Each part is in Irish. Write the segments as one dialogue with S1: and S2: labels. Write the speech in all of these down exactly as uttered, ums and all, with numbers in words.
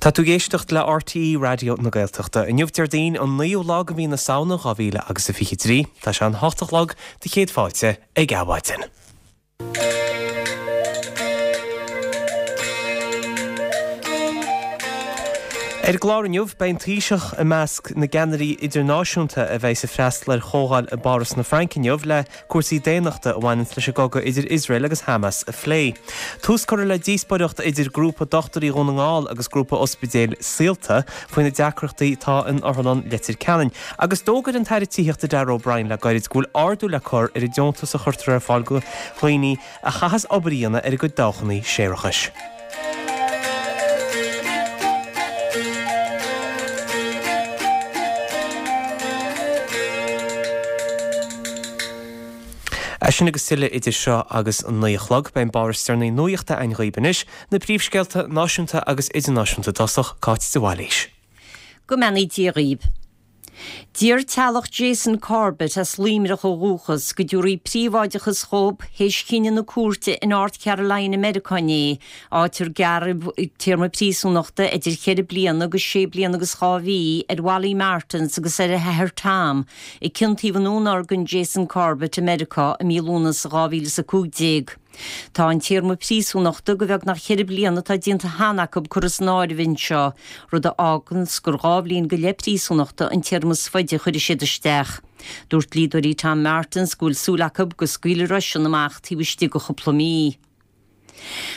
S1: Tá tú ag éisteacht le RTÉ Raidió na Gaeltachta. Inniu Déardaoin an naoú lá de mhí na Samhna dhá mhíle agus a fiche trí. Tá sé an hocht a chlog do chéad fáilte ag Adhmhaidin. Ar an gclár inniu, beidh an Taoiseach i measc na gceannairí idirnáisiúnta a bheidh ag freastal ar chomhdháil i bPáras na Fraince inniu le cúrsaí daonnachta a bhaineanns leis an gcogadh idir Iosrael agus Hamas a phlé. Tús curtha le díospóireacht idir Grúpa Dochtúirí Dhún na nGall agus Grúpa Ospidéil Saolta faoi na deacrachtaí atá in Otharlann Leitir Ceanainn. Agus d'fhógair an tAire Tithíochta Darragh O'Brien le gairid go bhfuil ardú le cur ar an deontas a chuirtear ar fáil do dhaoine a chaitheas obair a dhéanamh ar a gcuid dabhchanna séarachais. É sin agus tuilleadh idir seo agus an naoi a chlog. Beidh an barr is deireanaí nuachta againn dhaoibh anois, na príomhscéalta náisiúnta agus idirnáisiúnta i dtosach, Cáit de Bhailís.
S2: Go mbeannaí Dia dhaoibh. D'iarr teaghlach Jason Corbett, as Luimneach ó dhúchas, go dtabharfaí príobháideachas dhób théis chinneadh na cúirte i North Carolina Meiriceá inné, áit ar gearradh téarma príosúnachta idir cheithre bliana agus sé bliana agus dhá mhí ar Wally Martins agus ar a hathair Tom, a ciontaíodh i ndúnorgain Jason Corbett i Meiriceá i mí Lúnasa dhá mhíle is a cúig déag. Tá an téarma príosúnachta de bheagnach cheithre bliana atá déanta cheana acu curtha san áireamh anseo, rud a fháganns gur dhá bhliain go leith príosúnachta an téarma is faide a chuirfidh siad isteach. Dúirt dlíodóirí Tom Martins go bhfuil súil acu go scaoilfear eisean amach taobh istigh de chúpla mí.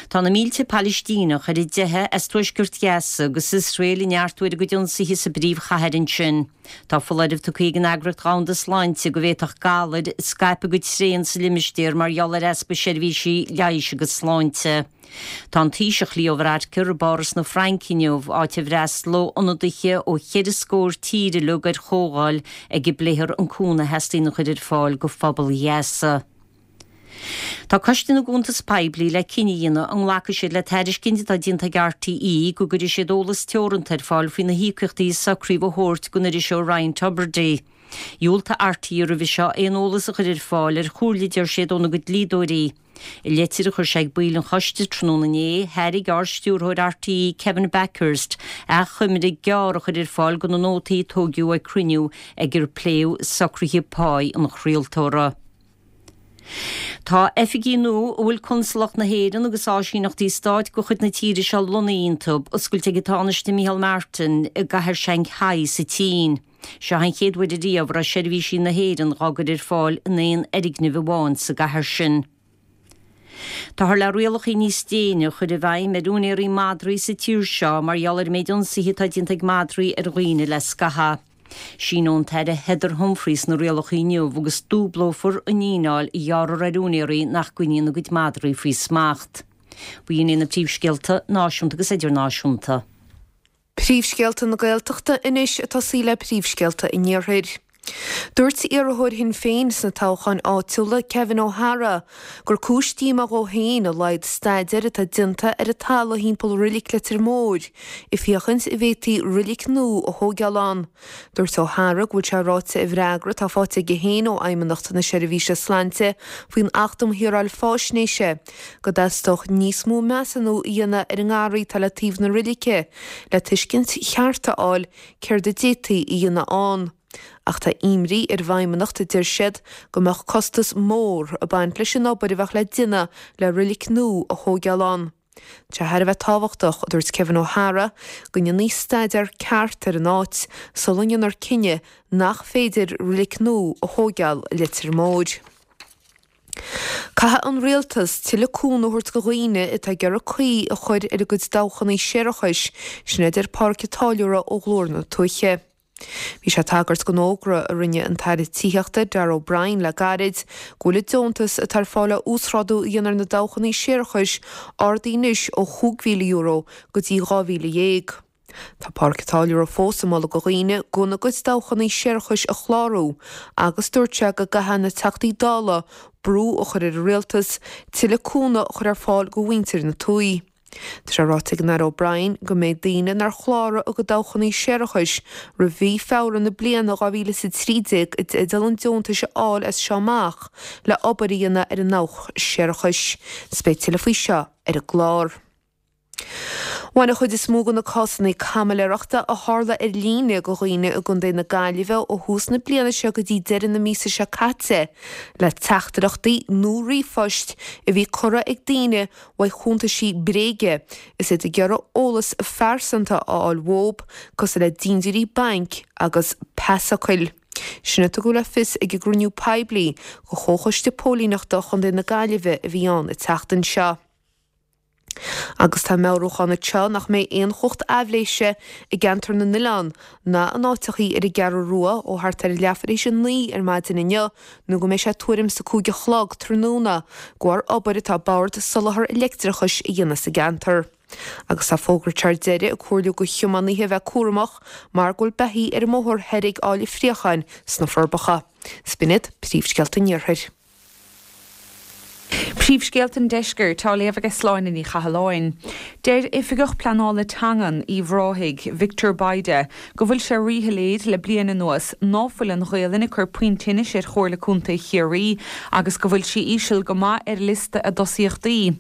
S2: Tá na mílte Palaistíneach ar a dteitheadh as tuaisceart Ghaza agus Iosrael ag neartú ar a gcuid ionsaithe sa bpríomhchathair ansin. Tá foláireamh tugtha ag an Eagraíocht Dhomhanda Sláinte go bhféadfadh galair scaipeadh go tréan sa limistéar mar gheall ar easpa seirbhísí leighis agus sláinte. Tá an Taoiseach Leo Varadkar i bPáras na Fraince inniu, áit a bhfreastalóidh ionadaithe ó cheithre scór tír uilig ar chomhdháil ag a bpléifear an cúnamh a theastaíonn a chur ar fáil do phobal Ghaza. Tá Coiste na gCuntas Poiblí le cinneadh a dhéanamh an nglacfaidh siad le tairiscint atá déanta ag RTÉ go gcuirfidh siad eolas teoranta ar fáil faoi na híocaíochtaí a socraíodh a thabhairt don iriseoir Ryan Tubridy. Dhiúltaigh RTÉ roimhe seo aon eolas a chur ar fáil ar chomhairle, deir siad, óna gcuid dlíodóirí. I litir a chuir sé ag baill an choiste tráthnóna inné, thairg Ard-Stiúrthóir RTÉ Kevin Bakhurst achoimre gearr a chur ar fáil de na nótaí a tóigeadh ag cruinniú ag ar pléadh socruithe páí an chraoltóra. Tá oifigí nua a bhfuil Consalacht na hÉireann agus áisíneachtaí stáit de chuid na tíre seo lonnaithe iontu, oscailte ag an Tánaiste Micheál Martin i gcathair Shanghai sa tSín. Seo an chéad uair ariamh a raibh seirbhísí na hÉireann dhá gcur ar fáil in aon fhoirgneamh amháin sa gcathair sin. Táthar le rialacha níos déine a chur i bhfeidhm ar úinéirí madraí sa tír seo mar gheall ar an méid ionsaithe atá déanta ag madraí ar dhaoine le scaitheamh. Síneoidh an tAire Heather Humphreys na rialacha inniu agus dúblófar an fhíneáil a ghearrfar ar úinéirí nach gcoinníonn a gcuid madraí faoi smacht. B'in iad na príomhscéalta náisiúnta agus idirnáisiúnta.
S3: Príomhscéalta na Gaeltachta anois ag tosaí le príomhscéalta an Iarthair. Dúirt iarrthóir Shinn Féin sna toghcháin áitiúla, Kevin O'Hara, gur cúis díomá dhó féin a laghad staidéir atá déanta ar an talamh thimpeall Reilig Leitir Móir, ag féachaint an bhféadfaí reilig nua a thóigeáil ann. Dúirt O'Hara go bhfuil sé ráite i bhfreagra atá faighte aige féin ó Fheidhmeannacht na Seirbhíse Sláinte faoin Acht um Shaoráil Faisnéise go dteastódh níos mó measúnú a dhéanamh ar an ngarraí atá le taobh na reilice le tuiscint cheart a fháil céard a d'fhéadfaí a dhéanamh ann. Ach tá imní ar an bhFeidhmeannacht, a deir siad, go mbeadh costas mór ag baint leis an obair a bheadh le déanamh le reilig nua a thóigeáil ann. Tá sé thar a bheith tábhachtach, a dúirt Kevin O'Hara, go ndéanfaí staidéar ceart ar an áit sula ndéanfar cinneadh nach féidir reilig nua a thóigeáil i Leitir Móir. Caithfidh an Rialtas tuilleadh cúnamh a thabhairt do dhaoine atá ag iarraidh caoi a chur ar a gcuid dabhchanna séarachais, sin a deir Pádraic Ó Táilliúra ó Ghlór na Tuaithe. Bhí sé ag tagairt don fhógra a rinne an tAire Tithíochta, Darragh O'Brien le gairid, go bhfuil an deontas atá ar fáil le uasghrádú a dhéanamh ar na dabhchanna séarachais ardaithe anois ó chúig mhíle euro go dtí dhá mhíle dhéag. Tá Pádraic Ó Táilliúra fós ag moladh do dhaoine gan a gcuid dabhchanna séarachais a chlárú agus dúirt sé go gcaithfidh na Teachtaí Dála brú a chur ar an Rialtas tuilleadh cúnamh a chur ar fáil do mhuintir na tuaithe. Tá sé ráite ag an Aire O'Brien go mbeidh daoine nár chláraigh a gcuid dabhchanna séarachais roimh mhí Feabhra na bliana dhá mhíle is a trí déag i dteideal an deontais a fháil as seo amach le obair a dhéanamh ar a ndabhach séarachais. Is beidh tuilleadh faoi seo ar an gclár. Bhain an chuid is mó de na cásanna caimiléireachta a tharla ar líne do dhaoine i gContae na Gaillimhe ó thús na bliana seo go dtí deireadh na míosa seo caite le teachtaireachtaí nó ríomhphoist a bhí curtha ag daoine uaidh chuntaisí bréige is iad ag iarraidh eolas phearsanta a fháil uathu, cosúil le dindiúirí bainc agus pasfhocail. Sin a tugadh le fios ag an gcruinniú poiblí do Chomhchoiste Póilíneachta Chontae na Gaillimhe a bhí ann an tseachtain seo. Agus tá meabhrúchán anseo nach mbeidh aon chumhacht aibhléise i gCeantar na nOileán ná in áiteachaí ar an gCeathrú Rua ó thart ar leathuair tar éis a naoi ar maidin inniu nó go mbeidh sé tuairim is a cúig a chlog tráthnóna de bharr obair atá Bord Soláthar Leictreachais a dhéanamh sa gceantar. Agus tá fógra ar deireadh ag comhairliú do thiománaithe a bheith cúramach mar go bhfuil beithígh ar an mbóthar thoir ag Áill an Phréacháin sna Forbacha. 'S b'in iad príomhscéalta an Iarthair.
S4: Príomhscéalta an Deiscirt á léamh ag Sláine Ní Chathalláin. Deir Oifigeach Pleanála Teangan Uíbh Ráthaigh, Victor Bayda, go bhfuil sé ríshoiléir le bliain anuas ná fuil an Ghaelainn ag cur puinn tinnis ar Chomhairle Contae Chiarraí agus go bhfuil sí íseal go maith ar liosta a dtosaíochtaí.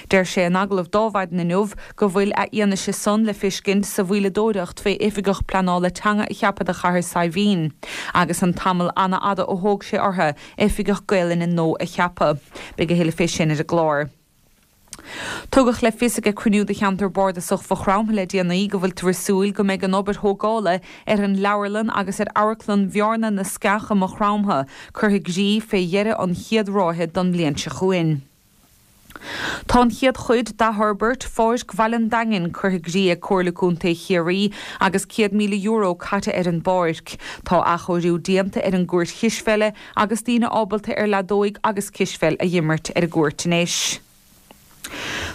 S4: Deir sé in agallamh d'Adhmhaidin inniu go bhfuil a fhianaise san le feiscint sa mhoilleadóireacht fé oifigeach pleanála teanga a cheapadh do Chathair Saidhbhín agus an tamall an-fhada a thóg sé orthu oifigeach Gaelainne nua a cheapadh. Beidh a thuilleadh fé sin ar an gclár. Tugadh le fios ag cruinniú de cheantar bardasach Mhaigh Chromtha le déanaí go bhfuiltear ag súil go mbeidh an obair thógála ar an leabharlann agus ar amharclann Bhearna na Sceach i Maigh Chromtha curtha i gcrích fé dheireadh an chéad ráithe don bhliain seo chugainn. Tá an chéad chuid d'athfhorbairt Pháirc Bhaile an Daingin curtha i gcrích ag Comhairle Contae Chiarraí agus céad míle euro caite ar an bpáirc. Tá athchóiriú déanta ar an gcúirt chispheile agus daoine ábalta ar leadóig agus cispheil a dh'imirt ar an gcúirt anois.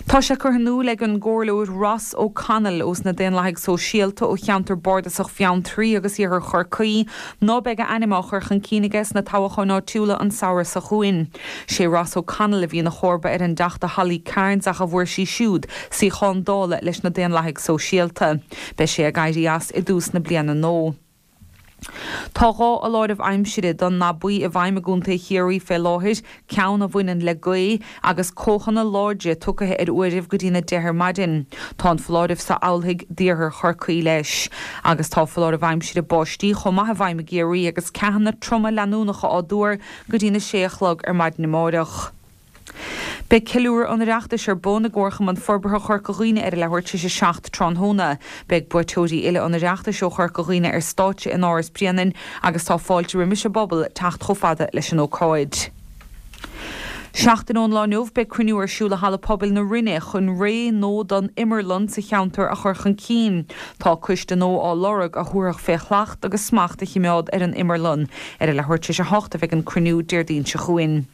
S4: Tá sé curtha in iúl ag an gComhairleoir Ross O'Connell ós na Daonlathaigh Sóisialta ó cheantar bardasach Bheanntraí agus Iarthar Chorcaí ná beidh a ainm á chur chun cinn aige sna toghcháin áitiúla an samhradh seo chugainn. Sé Ross O'Connell a bhí ina chomharba ar an dTeachta Holly Cairns ach a bhfuair sí siúd suíochán Dála leis na Daonlathaigh Sóisialta. Beidh sé ag éirí as i dtús na bliana nua. Tá dhá fholáireamh aimsire don ndath buí i bhfeidhm i gContae Chiarraí fé láthair, ceann a bhaineann le gaoth agus ceathanna láidre tugtha ar uairibh go dtína deich ar maidin. Tá an foláireamh seo amhlaidh d'iarthar Chorcaí leis. Agus tá foláireamh aimsire báistí chomh maith i bhfeidhm i gCiarraí agus ceathanna troma leanúnacha á dtuar go dtína sé a chlog ar maidin amárach. Beidh ceiliúradh an Oireachtais ar bun i gComharchumann Forbartha Chorca Dhuibhne ar a leathuair tar éis a seacht tráthnóna. Beidh buaiteoirí uile an Oireachtais ó Chorca Dhuibhne ar stáitse in Áras Bréanainn agus tá fáilte roimis an bpobal teacht chomh fada leis an ócáid. Seachtain ón lá inniu beidh cruinniú ar siúl i Halla Pobail na Rinne chun ré nua don imearlann sa cheantar a chur chun cinn. Tá coiste nua á lorg a thabharfadh fé shlacht agus smacht a chimeád ar an imearlann. Ar a leathuair tar éis a hocht a bheidh an cruinniú Déardaoin seo chugainn.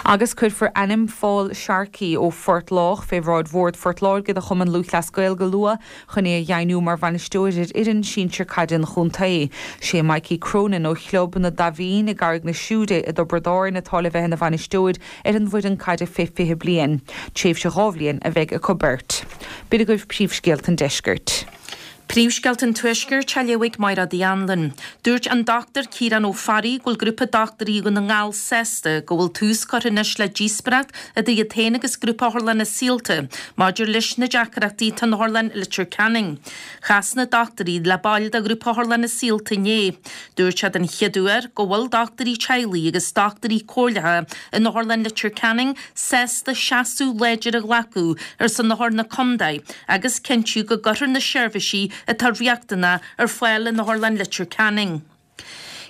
S4: Agus cuirfear ainm Phól Sharkey ó Phort Lách fé bhráid Bhord Phort Láirge do Chumann Lúthchleas Gael go luath chun é a dheimhniú mar bhainisteoir ar fhoireann sinsir caide an chontae. Sé Mikey Cronin ó Chlub na Daimhín i gCarraig na Siúire i dTiobraid Árann atá le bheith ina bhainisteoir ar an bhfoireann caide fé fiche bliain. Tréimhse dhá bhliain a bheidh acu beirt. B'in agaibh príomhscéalta an deiscirt.
S5: Príomhscéalta an Tuaiscirt á léamh ag Máire Uí Anluain. Dúirt an Dochtúir Ciarán Ó Fearraigh go bhfuil grúpa dochtúirí Dhún na nGall sásta go bhfuil tús curtha anois le díospóireacht idir iad féin agus grúpa Otharlanna Saolta maidir leis na deacrachtaí atá in Otharlann Leitir Ceanainn. Chas na dochtúirí le baill de ghrúpa Otharlanna Saolta inné. Dúirt sé den chéad uair go bhfuil dochtúirí teaghlaigh agus dochtúirí comhairleacha in Otharlann Leitir Ceanainn sásta seasamh láidir a ghlacadh ar son othar na contae agus cinntiú go gcuirfear na seirbhísí atá riachtanach ar fáil in Otharlann Leitir Ceanainn.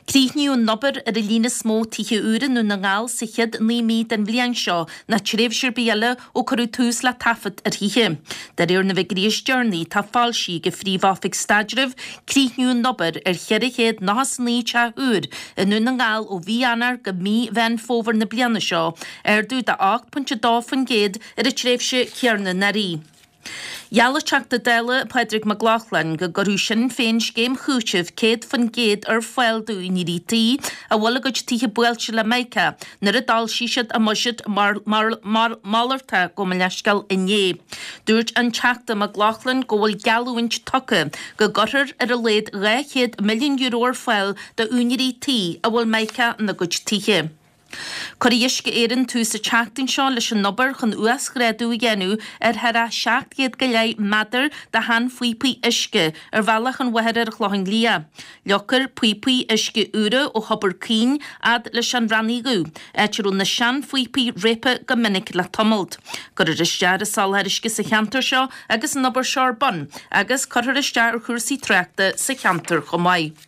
S5: Críochnaíodh an obair ar an líon is mó tithe úra i nDún na nGall sa chéad naoi mí den bhliain seo ná tréimhse ar bith eile ó cuireadh tús le taifead ar thithe. De réir na bhfigiúirí is deireanaí atá foilsithe ag an Phríomh-Oifig Staidrimh, críochnaíodh an obair ar cheithre chéad nócha is a naoi teach úr i nDún na nGall ó mhí Eanáir go mí Mheán Fómhair na bliana seo, ardú de ocht pointe dó faoin gcéad ar an tréimhse chéanna anuraidh. Gheall an Teachta Dála Pádraig Mac Lochlainn go gcuirfeadh Sinn Féin scéim chúitimh céad faoin gcéad ar fáil d'úinéirí tí a bhfuil a gcuid tithe buailte le mica nuair a d'fhoilsigh siad a mbuiséad malartach, gabh mo leithscéal, inné. Dúirt an Teachta Mac Lochlainn go bhfuil geallúint tugtha go gcuirfear ar a laghad dhá chéad milliún euro ar fáil d'úinéirí tí a bhfuil mica ina gcuid tithe. Cuirfidh Uisce Éireann tús an tseachtain seo leis an obair chun uasghrádú a dhéanamh ar thar a seacht gcéad go leith méadar de sheanphíopaí uisce ar bhealach an bhóthair ar an Chlochán Liath. Leagfar píopaí uisce úra ó Thobar Caoin fhad leis an Raithin Dhubh, áit a raibh na seanphíopaí réabtha go minic le tamalt. Cuirfear isteach ar an soláthar uisce sa cheantar seo agus an obair seo ar bun agus cuirfear isteach ar chúrsaí tráchta sa cheantar chomh maith.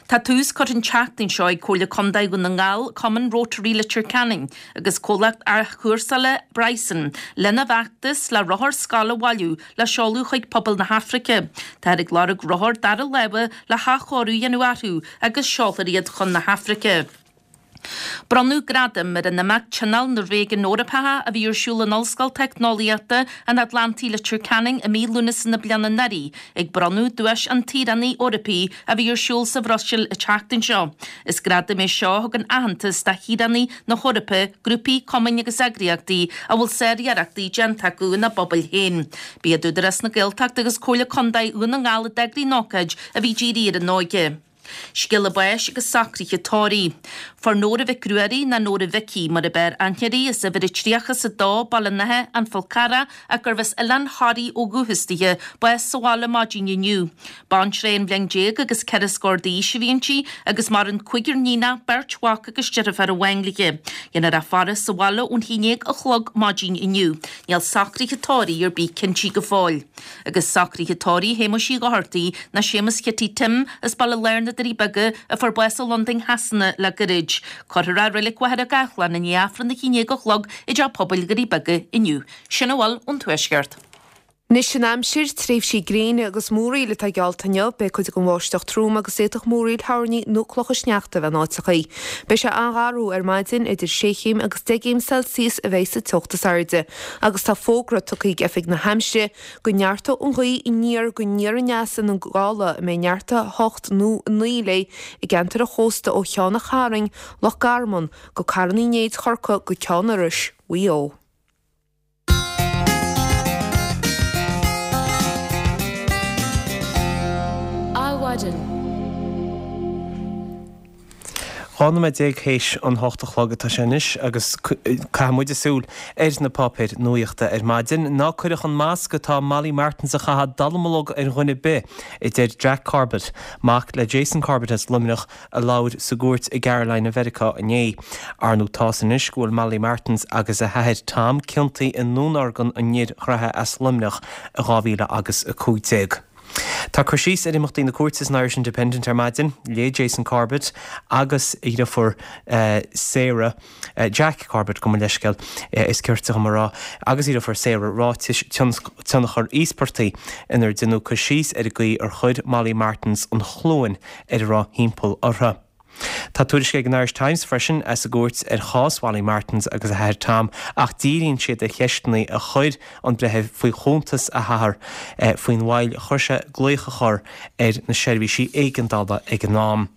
S5: Tá tús curtha an tseachtain seo ag Comhairle Contae Dhún na nGall, Cumann Rotary Leitir Ceanainn agus comhlacht athchúrsála Bryson lena bhfeachtas le rothair scoile a bhailiú le seoladh chuig pobal na hAfraice. Táthar ag lorg rothar dara láimhe le hathchóiriú a dhéanamh orthu agus seolfar iad chun na hAfraice. Bronnadh gradaim ar an imeacht Tionól na Réigiún Eorpacha a bhí ar siúl in Ollscoil Teicneolaíochta an Atlantaigh Leitir Ceanainn i mí Lúnasa na bliana anuraidh, ag bronnadh Duais an tSaoránaigh Eorpaigh a bhí ar siúl sa Bhruiséil an tseachtain seo. Is gradam é seo a thugann aitheantas do shaoránaigh na hEorpa, grúpaí, cumainn agus eagraíochtaí a bhfuil sáriarrachtaí déanta acu ina bpobail féin. B'iad Údarás na Gaeltachta agus Comhairle Contae Dhún na nGall a d'eagraigh an ócáid a bhí dírithe ar an óige. Scéala báis agus socruithe tórraimh. Fuair Nóra Mhic Ruairí, ná Nóra Mhicí mar ab fhearr aithne uirthi, as uimhir a tríocha is a dó, Baile an Átha, An Fál Carrach, ach gurbh as Oileán Thoraí ó dhúchas dithe, bás sa bhaile maidin inniu. Baintreach aon bhliain déag agus ceithre scór d'aois a bhí inti agus maireann cúigear níonach, beirt mhac agus deirfiúr amháin léi. Déanfar a faire sa bhaile ón haon déag a chlog maidin inniu. Níl socruithe tórraimh ar bith cinntí go fóill. Agus socruithe tórraimh Shéamuis Uí Dhochartaigh, ná Séamus Chití Tim, as Baile Láir na Doirí Beaga, a fuair bás i Londain Shasana le gairid. Cuirfear é i Reilig Mhachaire Gathlán i ndiaidh Aifreann a haon déag a chlog i dTeach Pobail Dhoirí Beaga inniu. Sin a bhfuil ón Tuaisceart.
S3: Anois an aimsir, tréimhsí gréine agus múraíl atá geallta inniu. Beidh cuid den bháisteach trom agus d'fhéadfadh múraíl thoirní nó clocha sneachta a bheith in áiteachaí. Beidh sé an-gharbh ar maidin, idir sé chéim agus deich gcéim Celsius a bheidh sa teocht is airde. Agus tá fógra tugtha ag Oifig na hAimsire go neartóidh an ghaoth aniar go aniar aneas ina gála a mbeidh neart a hocht nó a naoi léi i gceantar an chósta ó Cheann an Chairn, Loch Garman, go Carn Uí Néid Chorcaí go Ceann Iorrais, Mhaigh Eo.
S1: Adhmhaidin. Dhá nóiméad déag théis an hocht a chlog atá sé anois agus caithfidh muide súil ar na páipéir nuachta ar maidin. Ná cuireadh an masc atá Molly Martens a chaitheamh dallamullóg ar dhuine ar bith, a deir Jack Corbett, mac le Jason Corbett as Luimneach a labhair sa gcúirt i gCarolina Mheiriceá inné. Ar ndóigh tá's anois go bhfuil Molly Martens agus a hathair Tom ciontaithe i ndúnorgain an fhir ghraithe as Luimneach i dhá mhíle agus a cúig déag. Tá cur síos ar imeachtaí na cúirte san Irish Independent ar maidin. Léigh Jason Corbett agus a dheirfiúr Sarah, Jack Corbett gabh mo leithscéal, is cirte dhom a rá, agus a dheirfiúr Sarah ráitis tionchar íospartaigh inar deineadh cur síos ar an gcaoi ar chuir Molly Martens an chluain ar a raibh thimpeall orthu. Tá tuairisc ag an Irish Times freisin as an gcúirt ar chás Mholly Martens agus a hathair Tom ach díríonn siad ar cheisteanna a chuir an breitheamh faoi chuntas a hathar faoin mhoill a chuir sé glaoch a chur ar na seirbhísí éigeandála ag an am.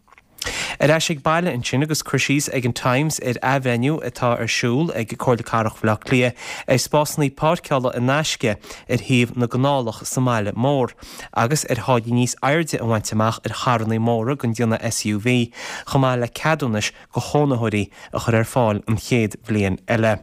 S1: Ar ais ag baile ansin agus cur síos ag an Times ar athbhreithniú atá ar siúl ag Comhairle Cathrach Bhaile Átha Cliath ar spásanna páirceála in aisce ar thaobh na gcanálach sa mbaile mór agus ar tháillí níos airde a bhaint amach ar charranna móra den déanamh S U V chomh maith le ceadúnais do chónaitheoirí a chur ar fáil an chéad bhliain eile.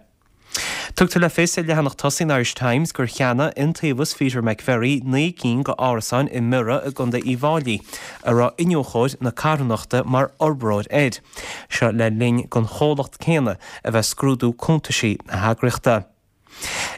S1: Tugtar le fios ar leathanach tosaigh an Irish Times gur cheannaigh Iontaobhas Peter McVerry naoi gcinn de árasáin i mBiorra i gContae Uíbh Fháilí, a raibh iniúchóir na carthanachta mar fhorbróir air. Seo le linn don chomhlacht céanna a bheith scrúdú cuntaisí na heagraíochta.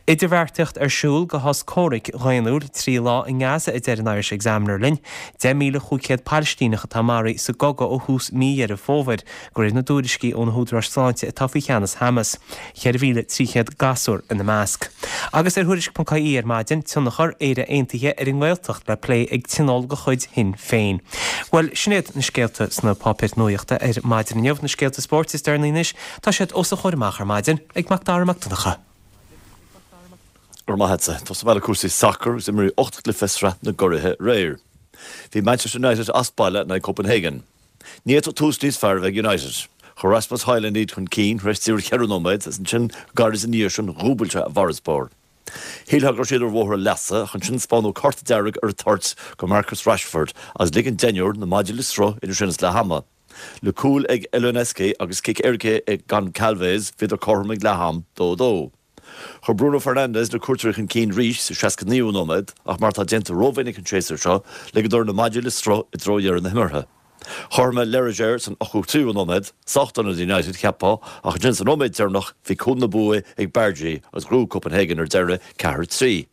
S1: Idirbheartaíocht ar siúl do shos comhraic dhaonnúil trí lá i nGaza, a deir an Irish Examiner linn. Deich míle chúig chéad Palaistíneach atá maraithe sa gcogadh ó thús mí Dheireadh Fómhair, de réir na dtuairiscí ó na húdaráis sláinte atá faoi cheannas Hamas. Ceithre mhíle trí chéad gasúr ina measc. Agus ar Thuairisc ponc I E ar maidin, tionchar Éire Aontaithe ar an nGaeltacht le plé ag tionól de chuid Shinn Féin. Bhuel, sin iad na scéalta sna páipéir nuachta ar maidin inniu. Na scéalta spóirt is deireanaí anois, tá siad os a chomhair amach ar maidin ag Mac Dara Mac Donncha.
S6: Go raibh maith agatsa. Tosóidh mé le cúrsaí sacair agus imríodh ocht gcluiche Sraith na gCuraithe aréir. Bhí Manchester United as baile in aghaidh Copenhagen. Ní fhéadfadh tús níos fearr a bheith ag United. Chuir Rasmus Højlund iad chun cinn tar éis saoire cheithre nóiméad agus ansin go gairid ina dhiaidh sin dhúbail sé a bhfarasbarr. Shílfeá go raibh siad ar bhóthar a leasa ach ansin spáineadh cárta dearg ar an toirt do Marcus Rashford agus lig an deichniúr na maidí le sruth idir sin is leath ama. Le cúl ag Elyounoussi agus cic éirice ag Goncalves bhíodar cothrom ag leath-am, dó dó. Chuir Bruno Fernandes na cuairteoirí chun cinn arís sa seasca naoú nóiméad ach mar atá déanta rómhinic an séasúr seo, ligeadar na maidí le sruth i dtreo dheireadh na himeartha. Chothromaigh Lerger san ochtó tríú nóiméad, sách dona d'United, cheapfá, ach ansin sa nóiméad deireanach bhí cúl na bua ag Bardghji agus ghnóthaigh Copenhagen ar deireadh, ceathair trí.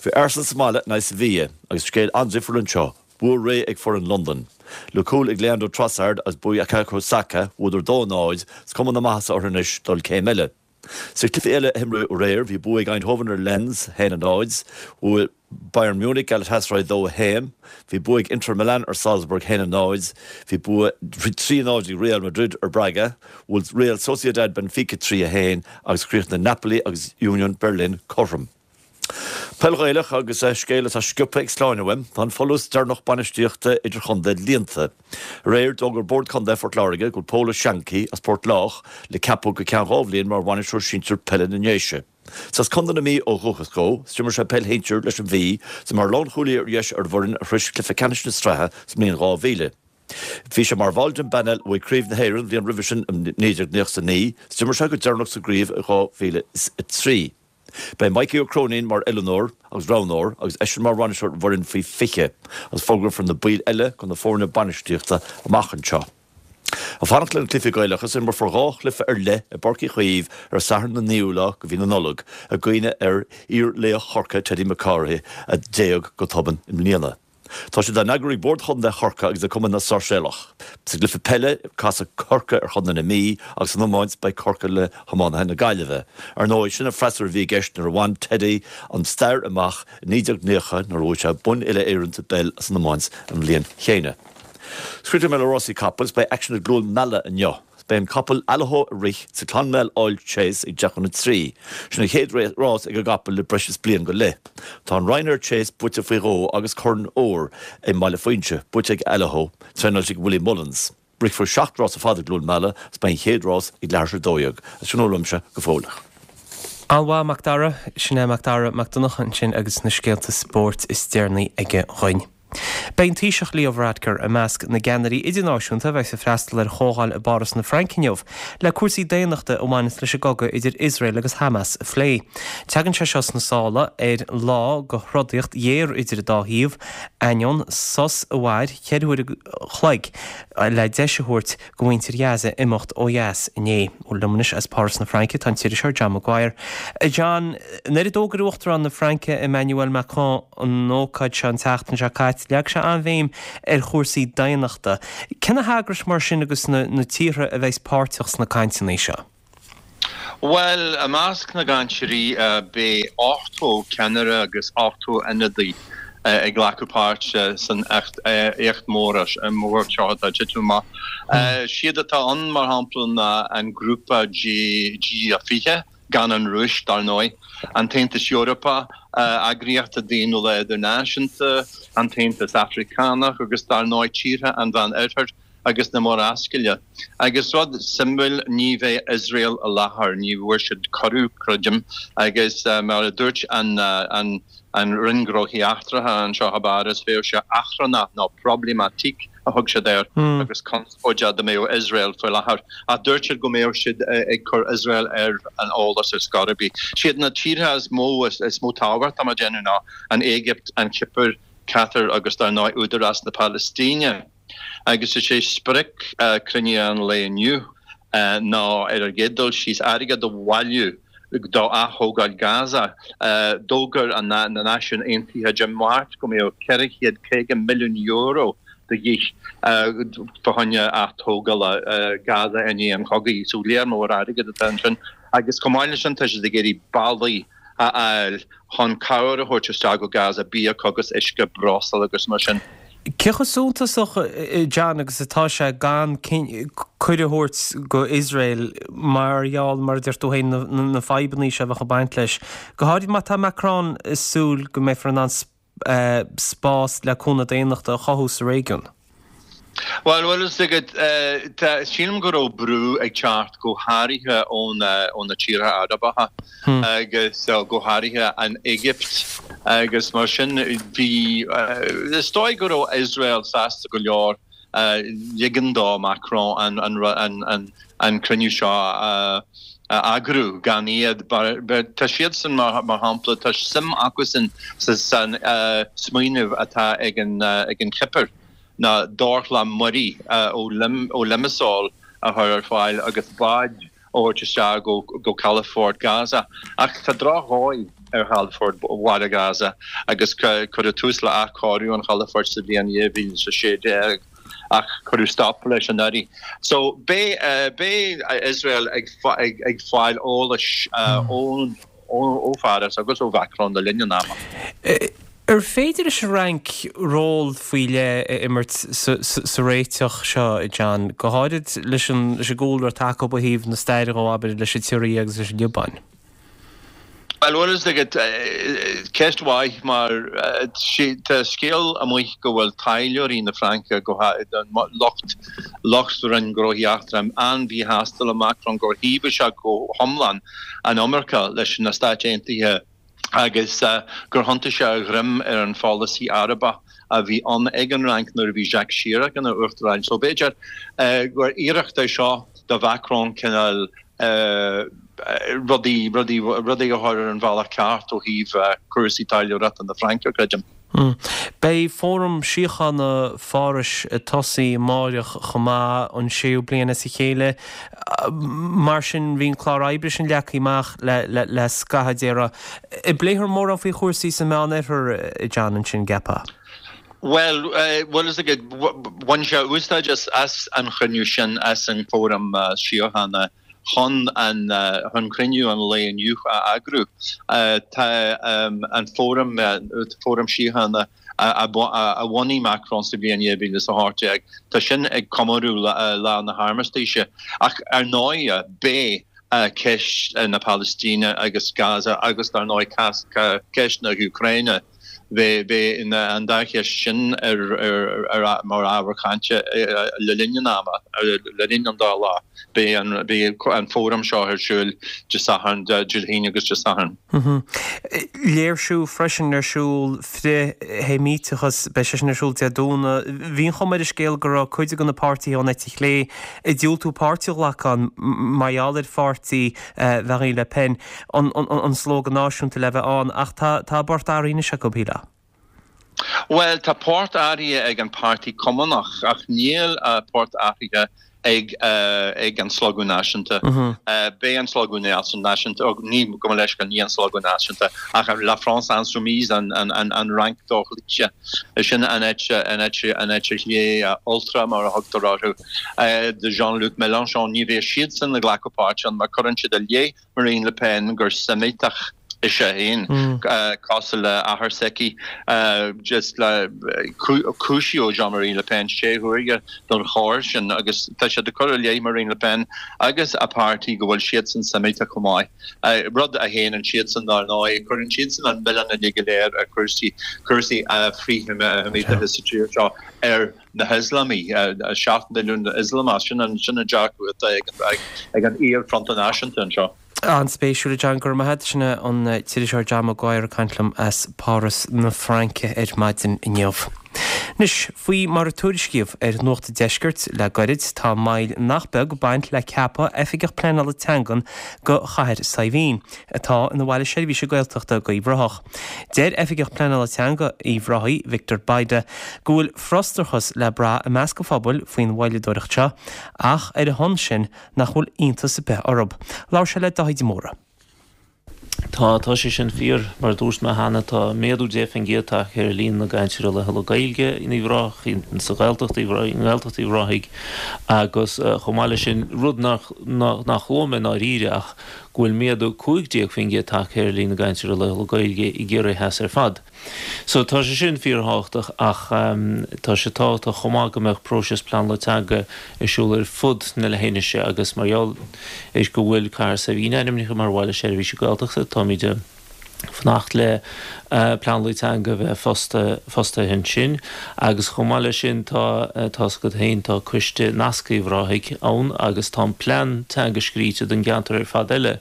S6: Bhí Arsenal sa mbaile in aghaidh Sevilla agus scéal an-difriúil anseo, bua réidh ag foireann Londan. Le cúl ag Leandro Trossard agus bua Bukayo Saka, bhuadar dó náid, is cuma na maitheasa orthu anois dul céim eile. Sna cluichí eile a himríodh aréir, bhí bua ag Eindhoven ar Lens, a haon a náid, bhuail Bayern Munich Galatasaray dó a haon, bhí bua ag Inter Milan ar Salzburg, a haon a náid, bhí bua trí a náid ag Real Madrid ar Braga, bhuail Real Sociedad Benfica trí a haon agus chríochnaigh Napoli agus Union Berlin cothrom. Peil Ghaelach agus scéal atá sciobtha ag Sláine uaim, tá an folús deireanach bainistíochta idirchontae líonta. Aréir, d'fhógair Bord Contae Phort Láirge go bhfuil Pól Ó Seanchaí as Port Lách le ceapadh go ceann dhá bhliain mar bhainisteoir sinsir peile na nDéise. Is as Contae na Mí ó dhúchas dó, is d'imir sé peil shinsir leis an Mhí, is mar lánchúlaí ar dheis ar an bhfoireann a shrois cluiche ceannais na sraithe sa mbliain dhá mhíle. Bhí sé mar bhall den bpainéal a bhuaigh Craobh na hÉireann an bhliain roimhe sin i naoi déag nócha a naoi, is d'imir sé go deireanach sa gcraobh i dhá mhíle is a trí. Beidh Mikey Ó Cróinín mar oiliúnóir agus roghnóir agus eisean mar bhainisteoir an bhfoireann faoi fiche agus fógrófar na baill eile do na foirne bainistíochta amach anseo. Ag fanacht le na cluichí Gaelacha, imreofar dhá chluiche ar leith i bPáirc Uí Chaoimh ar an Satharn an naoú lá de mhí na Nollag i gcuimhne ar iar-laoch Chorcaí Teddy Mac Cárthaigh a d'éag go tobann i mbliana. Tá siad á n-eagrú ag Bord Chontae Chorcaí agus ag Cumann na Sáirséalach. Sa gcluiche peile, casfaidh Corcaigh ar Chontae na Mí agus san iomáint beidh Corcaigh le hiománaithe na Gaillimhe. Ar ndóigh, sin an freasúra a bhí i gceist nuair a bhain Teddy an stair amach i naoi déag nócha nuair a bhuaigh sé bonn uile-Éireann sa bpeil is san iomáint an bhliain chéanna. Críochnóidh mé le rásaí capall is beidh aicsean i gCluain Meala inniu. Beidh an capall Allaho ag rith sa Clonmel Oil Chase ag deich chun a trí. Sin a chéad rás ag an gcapall le breis is bliain go leith. Tá an Ryanair Chase buaite faoi dhó agus Corn Óir i mBaile Fuinse buaite ag Allaho, traenáilte ag Willie Mullins. Rithfear seacht rás ar fad i gCluain Meala agus beidh an chéad rás ag leathuair tar éis a dó dhéag. Sin a bhfuil uaimse go fóill.
S1: An-mhaith, Mac Dara. Sin é Mac Dara Mac Donncha ansin agus na scéalta spóirt is deireanaí aige dhuinn. Beidh an Taoiseach Leo Varadkar i measc na gceannairí idirnáisiúnta a bheas ag freastal ar chomhdháil i bPáras na Fraince inniu le cúrsaí daonnachta a bhaineanns leis an gcogadh idir Iosrael agus Hamas a phlé. Tagann sé seo sna sála ar lá de throdaíocht ghéar idir an dá thaobh, ainneoin sos a mhair ceithre huaire an chloig le deis a thabhairt do mhuintir Ghaza imeacht ó dheas inné. Liom anois as Páras na Fraince tá an t-iriseoir John Maguire. A John, nuair a d'fhógair Uachtarán na Fraince Emmanuel Macron an ócáid seo an tseachtain seo caite, leag sé an-bhéim ar chúrsaí daonnachta. Cé na heagrais mar sin agus na tíortha a bheas páirteach sna cainteanna seo?
S7: Bhuel, i measc na gcainteoirí beidh ochtó ceannaire agus ochtó ionadaí ag glacadh páirt san éacht mór seo atá ag titim amach. Siad atá ann, mar shampla, ná an grúpa G fiche, gan an Rúis, dar ndóigh, an tAontas Eorpach, eagraíochtaí daonnúla idirnáisiúnta, an tAontas Afracánach agus, dar ndóigh, tíortha an Mheán-Oirthir. agus na Murascaille. Agus rud suimiúil, ní bheidh Iosrael i láthair, ní bhfuair siad cuireadh, creidim, agus mar a dúirt an an Roinn Gnóthaí Eachtracha anseo i bPáras, bheadh sé achrannach nó problématique a thug siad air agus conspóideach dá mbeadh Iosrael faoi láthair. Ach dúirt siad go mbeadh siad ag cur Iosrael ar an eolas ar scor ar bith. Siad na tíortha is mó is mó tábhacht, tá mé ag déanamh, ná an Éigipt, an Chipir, Catar agus dar ndóigh Údarás na Palaistíne. Agus is é sprioc cruinnithe an lae inniu ná, ar an gcéad dul síos, airgead a bhailiú do ath-thógáil Gaza. D'fhógair na Náisiúin Aontaithe Dé Máirt go mbeadh ceithre chéad caoga milliún euro de dhíth fá choinne ath-tógála Gaza i ndiaidh an chogaidh. So léar mór airgid atá ansin. Agus chomh maith leis sin tá siad ag iarraidh bealaí a fháil chun cabhair a thabhairt isteach go Gaza, bia, agus uisce, breosla agus mar sin.
S1: Cé chomh suntasach, John, agus atá sé gan cuireadh a thabhairt go Iosrael mar gheall, mar a deir tú féin, na fadhbanna seo a bheadh ag baint leis, go háirid má tá Macron ag súil go mbeifear in ann spás le cúnamh daonnachta a chothú sa réigiún?
S7: Bhuel, bhfuil fhios agat, tá, sílim go raibh brú ag teacht go háirithe ó na, ó na tíortha Arabacha agus go háirithe an Éigipt agus mar sin bhí, is dóigh go raibh Iosrael sásta go leor ligean do Macron an an an an an cruinniú seo a a eagrú gan iad. Tá siadsan mar mar shampla tá suim acusan sa san smaoineamh atá ag an ag an Chipir ná dorchla muirí ó ó Limassol a chur ar fáil agus báid a thabhairt isteach go go calafort Gaza. Ach tá drochdhóigh ar chalafort bhaile Gaza agus cuireadh tús le athchóiriú an chalafoirt sa bhliain dhá mhíle is a sé déag ach cuireadh stop leis anuraidh. So beidh beidh Iosrael ag ag ag fáil eolais ón ó Pháras agus ó Mhacron le linn an ama.
S1: Ar féidir leis an Fhrainc ról faoi leith a imirt sa réiteach seo, John, go háirid leis an leis an gcúlra atá acu ó thaobh na staire dhó, abair, leis an tSiria agus leis an Liobáin?
S7: Bhuel, bhfuil fhios agat, ceist mhaith mar tá scéal amuigh go bhfuil taidhleoirí na Fraince, go lucht lucht Roinn Gnóthaí Eachtracha, an-mhíshásta le Macron gur thaobhaigh sé go hiomlán an iomarca leis na Stáit Aontaithe agus gur thiontaigh sé a dhroim ar an pholasaí Arabach a bhí ann ag an Fhrainc nuair a bhí Jacques Chirac ina uachtarán. So b'fhéidir gur iarracht é seo do Mhacron cineál rudaí, rudaí, rudaí a chur ar an bhealach ceart ó thaobh cúrsaí taidhleoireachta na Fraince, creidim.
S1: Beidh Fóram Síochána Pháras ag tosaí amáireach chomh maith, an séú bliain as a chéile. Mar sin, bhí an clár oibre sin leagtha amach le scaitheamh, déarfá. An bpléifear mórán faoi chúrsaí sa Meánoirthear, a John, ansin, gceapfá?
S7: Bhuel, bhfuil fhios agat, bhain sé úsáid as an chruinniú sin, as an Fóram Síochána chun an chun cruinniú an lae inniu a eagrú. Tá an Fóram Fóram Síochána a bhunaigh Macron sa bhliain dhá mhíle is a hocht déag, tá sin ag comóradh Lá na hArmistíse. Ach ar ndóigh, beidh ceist na Palaistíne agus Gaza agus dar ndóigh ceist na hÚcráine, Beidh an dá cheist sin ar mar ábhar cainte le linn an ama, le linn an dá lá. Beidh an fóram seo ar siúl Dé Sathairn, Dé hAoine agus Dé Sathairn.
S1: Léirsiú freisin ar siúl frith-Sheimíteachas, beidh sé sin ar siúl Dé Domhnaigh. Bhí an chuma ar an scéal go raibh cuid de na páirtithe ón eite chlé ag diúltú páirt a ghlacadh ann mar gheall ar pháirtí Mharine Le Pen. an Slógadh Náisiúnta le bheith ann, ach tá a bport athraithe anois acu, shílfeá.
S7: Bhuel, tá port athraithe ag an Páirtí Cumannach, ach níl a port athraithe ag ag an Slógadh Náisiúnta. Beidh an Slógadh Náisiúnta, ní, gabh mo leithscéal, ní an Slógadh Náisiúnta, ach La France Insoumise, an an an Fhrainc Dhochloíte. Sin an eite, an eite, an eite chlé ultra, mar a thugtar orthu, de Jean-Luc Mélenchon. Ní bheidh siadsan ag glacadh páirt ann mar cuireann siad i leith Marine Le Pen gur Seimíteach ise féin, cosúil le athair s'aici. Just le cúisíodh Jean-Marie Le Pen sé huaire don choir sin agus tá siad ag cur i leith Marine Le Pen agus a páirtí go bhfuil siadsan Seimíteach chomh maith. Rud a shéanann siadsan dar ndóigh. Cuireann siadsan an milleán uilig go léir ar chúrsaí cúrsaí frith-Sheimíteachais sa tír seo ar na hIoslamaigh, seacht milliún Ioslamach, sin an dearcadh atá ag an iar-Fronta Náisiúnta anseo.
S1: An-spéisiúil, a John, go raibh maith agat. Sin é an t-iriseoir John Maguire ag caint liom as Páras na Fraince ar maidin inniu. Anois, faoi mar a tuairiscíodh ar Nuacht an Deiscirt le goirid, tá moill nach beag ag baint le ceapadh Oifigeach Pleanála Teangan go Chathair Saidhbhín, atá ina bhaile seirbhíse Gaeltachta go Uíbh Ráthach. Deir Oifigeach Pleanála Teanga Uíbh Ráthaigh, Victor Bayda, go bhfuil frustrachas le brath i measc an phobail faoin mhoilleadóireacht seo ach ar a shon sin nach bhfuil iontas ar bith orthu. Labhair sé le Dáithí de Mórdha.
S8: Tá, tá sé sin fíor. Mar a dúirt mé cheana, tá méadú deich faoin gcéad tagtha ar líon na gcainteoirí laethúla Gaeilge in Uíbh Ráthaigh, sa Ghaeltacht, i nGaeltacht Uíbh Ráthaigh agus chomh maith leis sin, rud nach, nach luaigh mé i ndáiríre ach go bhfuil méadú cúig déag faoin gcéad tagtha ar líon na gcainteoirí laethúla Gaeilge i gCiarraí Theas ar fad. So tá sé sin fíorthábhachtach ach tá sé tábhachtach chomh maith go mbeadh próiseas pleanála teanga ar siúl ar fud na leithinise agus mar gheall ar go bhfuil Cathair Saidhbhín ainmnithe mar bhaile seirbhíse Gaeltachta táimid Fanacht le pleanálaí teanga a bheith fostaithe ansin agus chomh maith leis sin tá tá's agat féin tá Coiste Nasctha Uíbh Ráthaigh ann agus tá an plean teanga scríte don gceantar ar fad eile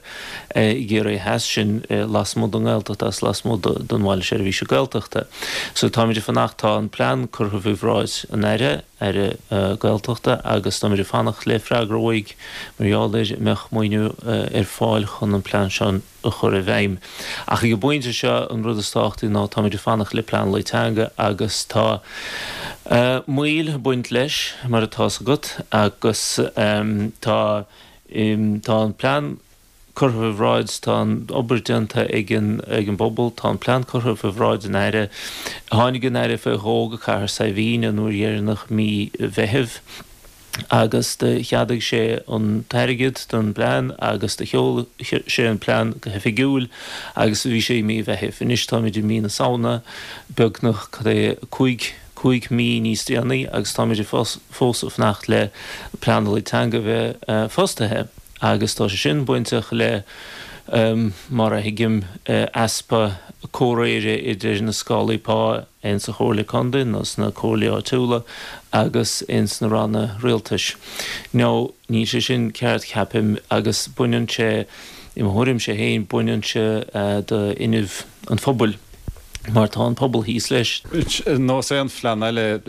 S8: i gCiarraí Theas, sin lasmuigh den nGaeltacht agus lasmuigh den Bhaile Seirbhíse Gaeltachta. So táimid ag fanacht, tá an plean curtha faoi bhráid an Aire, Aire Gaeltachta agus táimid ag fanacht le freagra uaidh mar gheall ar an mbeadh maoiniú ar fáil chun an plean seo a chur i bhfeidhm. Ach ag an bpointe seo an rud is tábhachtaí ná táimid ag fanacht le pleanálaí teanga agus tá moill ag baint leis mar atá's agat agus tá tá an plean curtha faoi bhráid, tá an obair déanta ag an ag an bpobal, tá an plean curtha faoi bhráid an Aire. Tháinig an Aire faoi dhó go Cathair Saidhbhín an uair dheireanach mí Mheithimh agus do cheadaigh sé an t-airgead don bplean agus do sheol sé an plean go hoifigiúil agus bhí sé i mí Mheithimh. Anois táimid i mí na Samhna, beagnach cad é cúig cúig mí níos déanaí agus táimid fós ag fanacht le pleanálaí teanga a bheith fostaithe. Agus tá sé sin bainteach le, mar a thuigim, easpa comhréire idir na scálaí pá ins an Chomhairle Contae nó sna comhairlí áitiúla agus ins na ranna rialtais. Now, níl sé sin ceart, ceapaim, agus baineann sé, i mo thuairimse féin, baineann sé de fhuinneamh an phobail, mar tá an pobal thíos leis.
S9: Ar nós aon phlean eile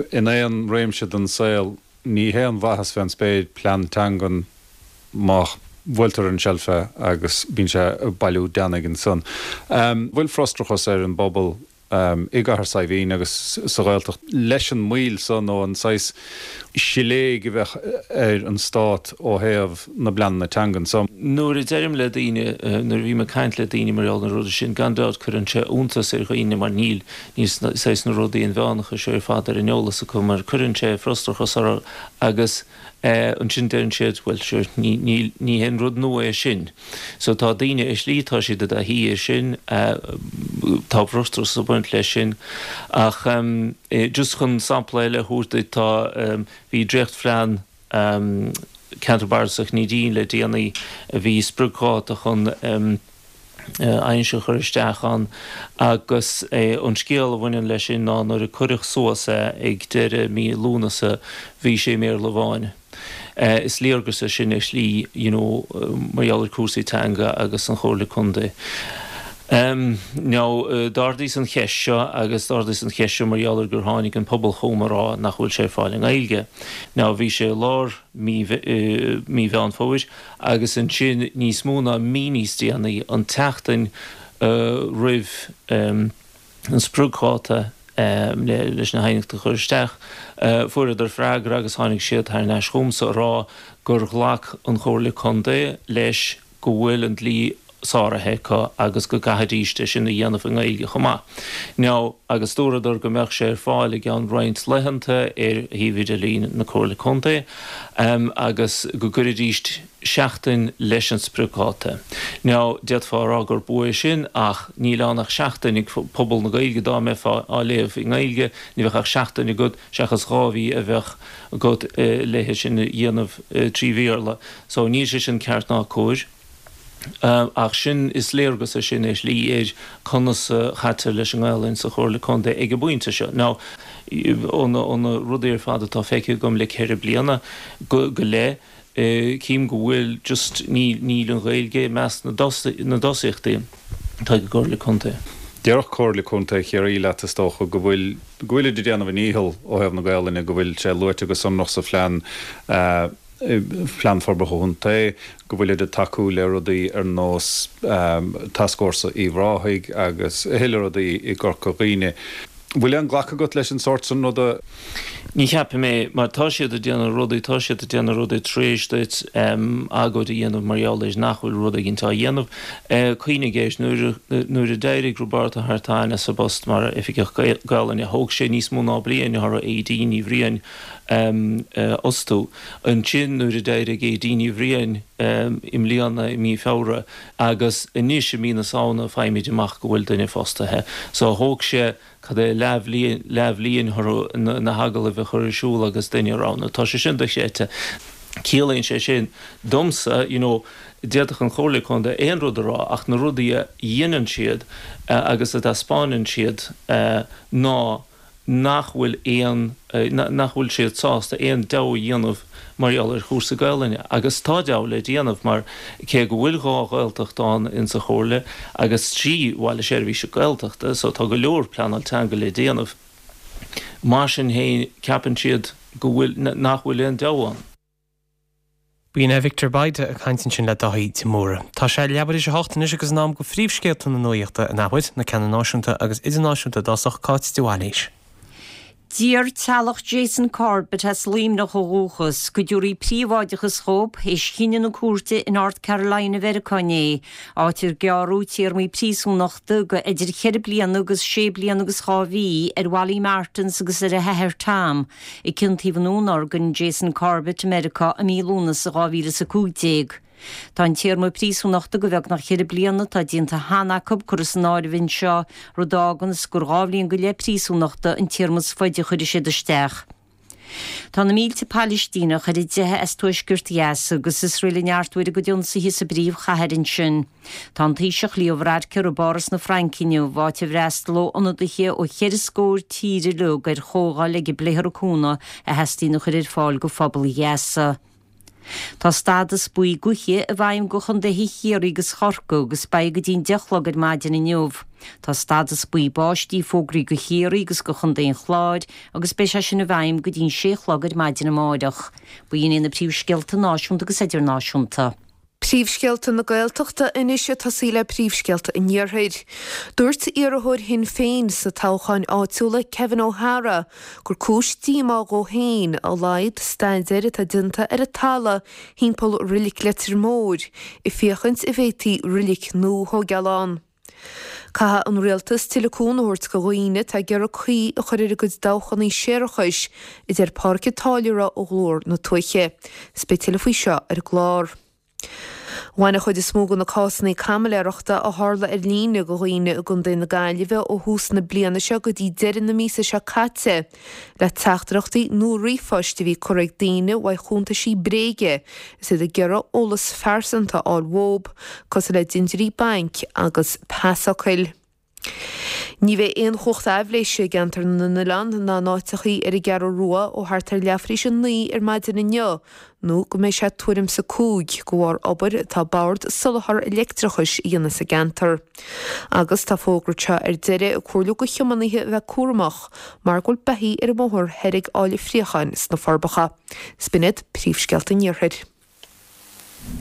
S9: in aon réimse den saol, Ní haon mhaitheas fén spéir plean teangan má bhuailtear an tseilf é agus bíonn sé ag bailiú deannaigh ansan. Bhfuil frustrachas ar an bpobal i gCathair Saidhbhín agus sa Ghaeltacht leis an moill so nó an saghas siléig a bheadh ar an Stát ó thaobh na bpleananna teangan so?
S8: Nuair a deirim le daoine, nuair a bhím ag caint le daoine mar gheall ar na rudaí sin, gan dabht cuireann sé iontas ar dhaoine mar níl, níl saghas na rudaí inmheánacha seo ar fad ar an eolas acu mar cuireann sé frustrachas orthu agus ansin deireann siad, bhuel sure, ní, ní, ní haon rud nua é sin. So tá daoine ar shlí, tá siad i dtaithí air sin, tá frustrachas ag baint leis sin ach just chun sampla eile a thabhairt duit, tá, bhí dréachtphlean Ceantar Bardasach Neidín le déanaí a bhí spriocdháta chun aighneas a chur isteach ann agus an scéal a bhaineann leis sin ná nuair a cuireadh suas é ag deireadh mí Lúnasa bhí sé i mBéarla amháin. Is léargas é sin ar shlí you know mar gheall ar cúrsaí teanga agus an Chomhairle Contae. Now d'ardaíos an cheist seo agus d'ardaíos an cheist seo mar gheall ar gur tháinig an pobal chugam a rá nach bhfuil sé ar fáil i nGaeilge. Now bhí sé i lár mí mí Mheán Fómhair agus ansin níos mó ná mí níos déanaí, an tseachtain roimh an spriocdháta leis na haighneachtaí a chur isteach, fuaireadar freagra agus tháinig siad thar n-ais chugamsa a rá gur ghlac an Chomhairle Contae leis go bhfuil an dlí sáraithe acu agus go gcaithfidíst é sin a dhéanamh i nGaeilge chomh maith. Now, agus dúradar go mbeadh sé ar fáil i gceann roinnt laethanta ar shuíomh idirlín na Comhairle Contae agus go gcuirfidíst seachtain leis an spriocdháta. Now, d'fhéadfá a rá gur bua é sin ach níl ann ach seachtain ag pobal na Gaeilge, dá mbeifeá á léamh i nGaeilge ní bheadh ach seachtain agat seachas dhá mhí a bheadh agat le é sin a dhéanamh trí Bhéarla. So, níl sé sin ceart ná cóir. Ach sin, is léargas é sin ar shlí ar conas a chaitear leis an nGaelainn sa Chomhairle Contae ag an bpointe seo. Now, ó na rudaí ar fad atá feicthe agam le ceithre bliana go leith, cím go bhfuil just, níl, níl an Ghaeilge i measc na dtosaíochtaí atá ag an gComhairle Contae.
S9: Déarfadh Comhairle Contae Chiarraí leat, is dócha, go bhfuil, go bhfuilid ag déanamh a ndícheall ó thaobh na Gaelainne, go bhfuil sé luaite go sonrach sa phlean, Phlean Forbartha Contae, go bhfuilid ag tacú le rudaí ar nós Tascfhórsa Uíbh Ráthaigh agus a thuilleadh rudaí i gCorca Dhuibhne. Bhfuil aon ghlacadh agat leis an sórt sin ruda?
S8: Ní cheapaim é, mar tá siad ag déanamh rudaí, tá siad ag déanamh rudaí tar éis duit agóid a dhéanamh mar gheall ar nach bhfuil rud éigin á dhéanamh. Cuimhnigh air, nuair a, nuair a d'éirigh Roibeárd Ó hEartáin as a phost mar Oifigeach Gaelainne, thóg sé níos mó ná bliain orthu Aedín Ní Bhriain a fhostú. Ansin nuair a d'éirigh Aedín Ní Bhriain i mbliana i mí Feabhra agus anois i mí na Samhna faighimid amach go bhfuil duine fostaithe. So thóg sé cad é leathbhliain leathbhliain orthu na hagallaimh a chur ar siúl agus duine a roghnú. Tá sé sin dochreidte. Ciallaíonn sé sin domsa, you know, d'fhéadfadh an Chomhairle Contae aon rud a rá ach na rudaí a dhéanann siad agus a dtaispeánann siad ná nach bhfuil aon, nach bhfuil siad sásta aon deabhadh a dhéanamh mar gheall ar chúrsaí Gaelainne. Agus tá deabhadh le déanamh mar cé go bhfuil dhá Ghaeltacht ann insa Chomhairle agus trí Bhaile Seirbhíse Gaeltachta so tá go leor pleanáil teanga le déanamh, mar sin féin ceapann siad go bhfuil, nach bhfuil aon deabhadh ann.
S1: B'in é Victor Bayda ag caint ansin le Dáithí de Mórdha. Tá sé leathuair tar éis a hocht anois agus in am go phríomhscéalta na nuachta an athuair, na ceanna náisiúnta agus idirnáisiúnta i dtosach, Cáit de Bhailís.
S2: D'iarr teaghlach Jason Corbett as Luimneach ó dhúchas go dtabharfaí príobháideachas dhób théis chinneadh na cúirte in North Carolina Mheiriceá inné, áit ar gearradh téarmaí príosúnachta go idir cheithre bliana agus sé bliana agus dhá mhí ar Wally Martins agus ar a hathair Tom, a ciontaíodh i ndúnorgain Jason Corbett i Meiriceá i mí Lúnasa dhá mhíle is a cúig déag. Tá an téarma príosúnachta go bheagnach ceithre bliana atá déanta cheana acu curtha san áireamh anseo, rud a fháganns gur dhá bhliain go leith príosúnachta an téarma is faide a chuirfidh siad isteach. Tá na mílte Palaistíneach ar a dteitheadh as tuaisceart Ghaza agus Iosrael ag neartú ar a gcuid ionsaithe sa bpríomhchathair ansin. Tá an Taoiseach Leo Varadkar i bPáras na Fraince inniu, áit a bhfreastalóidh ionadaithe ó cheithre scór tír uilig ar chomhdháil ag pléifear an cúnamh a theastaíonn a chur ar fáil go phobal Ghaza. Tá stádas buí gaoithe i bhfeidhm go chontaetha Chiarraí agus Chorcaí agus beidh go dtí'n deich a chlog ar maidin inniu. Tá stádas buí báistí fógraithe go Chiarraí agus go chontae an Chláir agus beidh sé sin i bhfeidhm go dtí'n sé a chlog ar maidin amáireach. B'in iad na príomhscéalta náisiúnta agus idirnáisiúnta.
S3: Príomhscéalta na Gaeltachta anois ag tosaí le príomhscéalta an Iarthair. Dúirt iarrthóir Shinn Féin sna toghcháin áitiúla Kevin O'Hara gur cúis díomá dhó féin a laghad staidéir atá déanta ar an talamh thimpeall Reilig Leitir Móir ag féachaint an bhféadfaí reilig nua a thógáil ann. Caithfidh an rialtas tuilleadh cúnamh a thabhairt do dhaoine atá ag iarraidh caoi a chur ar a gcuid dabhchanna séarachais, a deir Pádraic Ó Táilliúra ó Ghlór na Tuaithe. 'S beidh tuilleadh faoi seo ar an gclár. Bhain an chuid is mó de na cásanna caimiléireachta a tharla ar líne do dhaoine i gContae na Gaillimhe ó thús na bliana seo go dtí deireadh na míosa seo caite le teachtaireachtaí nó ríomhphoist a bhí curtha ag daoine uaidh chuntaisí bréige is iad ag iarraidh eolas phearsanta a fháil uathu, cosúil le dintiúirí bainc agus pasfhocail. Ní bheidh aon chumhacht aibhléise i gceantar na n-oileán ná in áiteachaí ar an gCeathrú Rua ó thart ar leathuair tar éis a naoi ar maidin inniu nó go mbeidh sé tuairim 's a cúig de bharr obair atá Bord Soláthar Leictreachais a dhéanamh sa gceantar. Agus tá fógra anseo ar deireadh ag comhairliú do thiománaithe a bheith cúramach mar go bhfuil beithígh ar an mbóthar thoir ag fáil friochán sna Forbacha. 'S b'in iad príomhscéalta an Iarthair.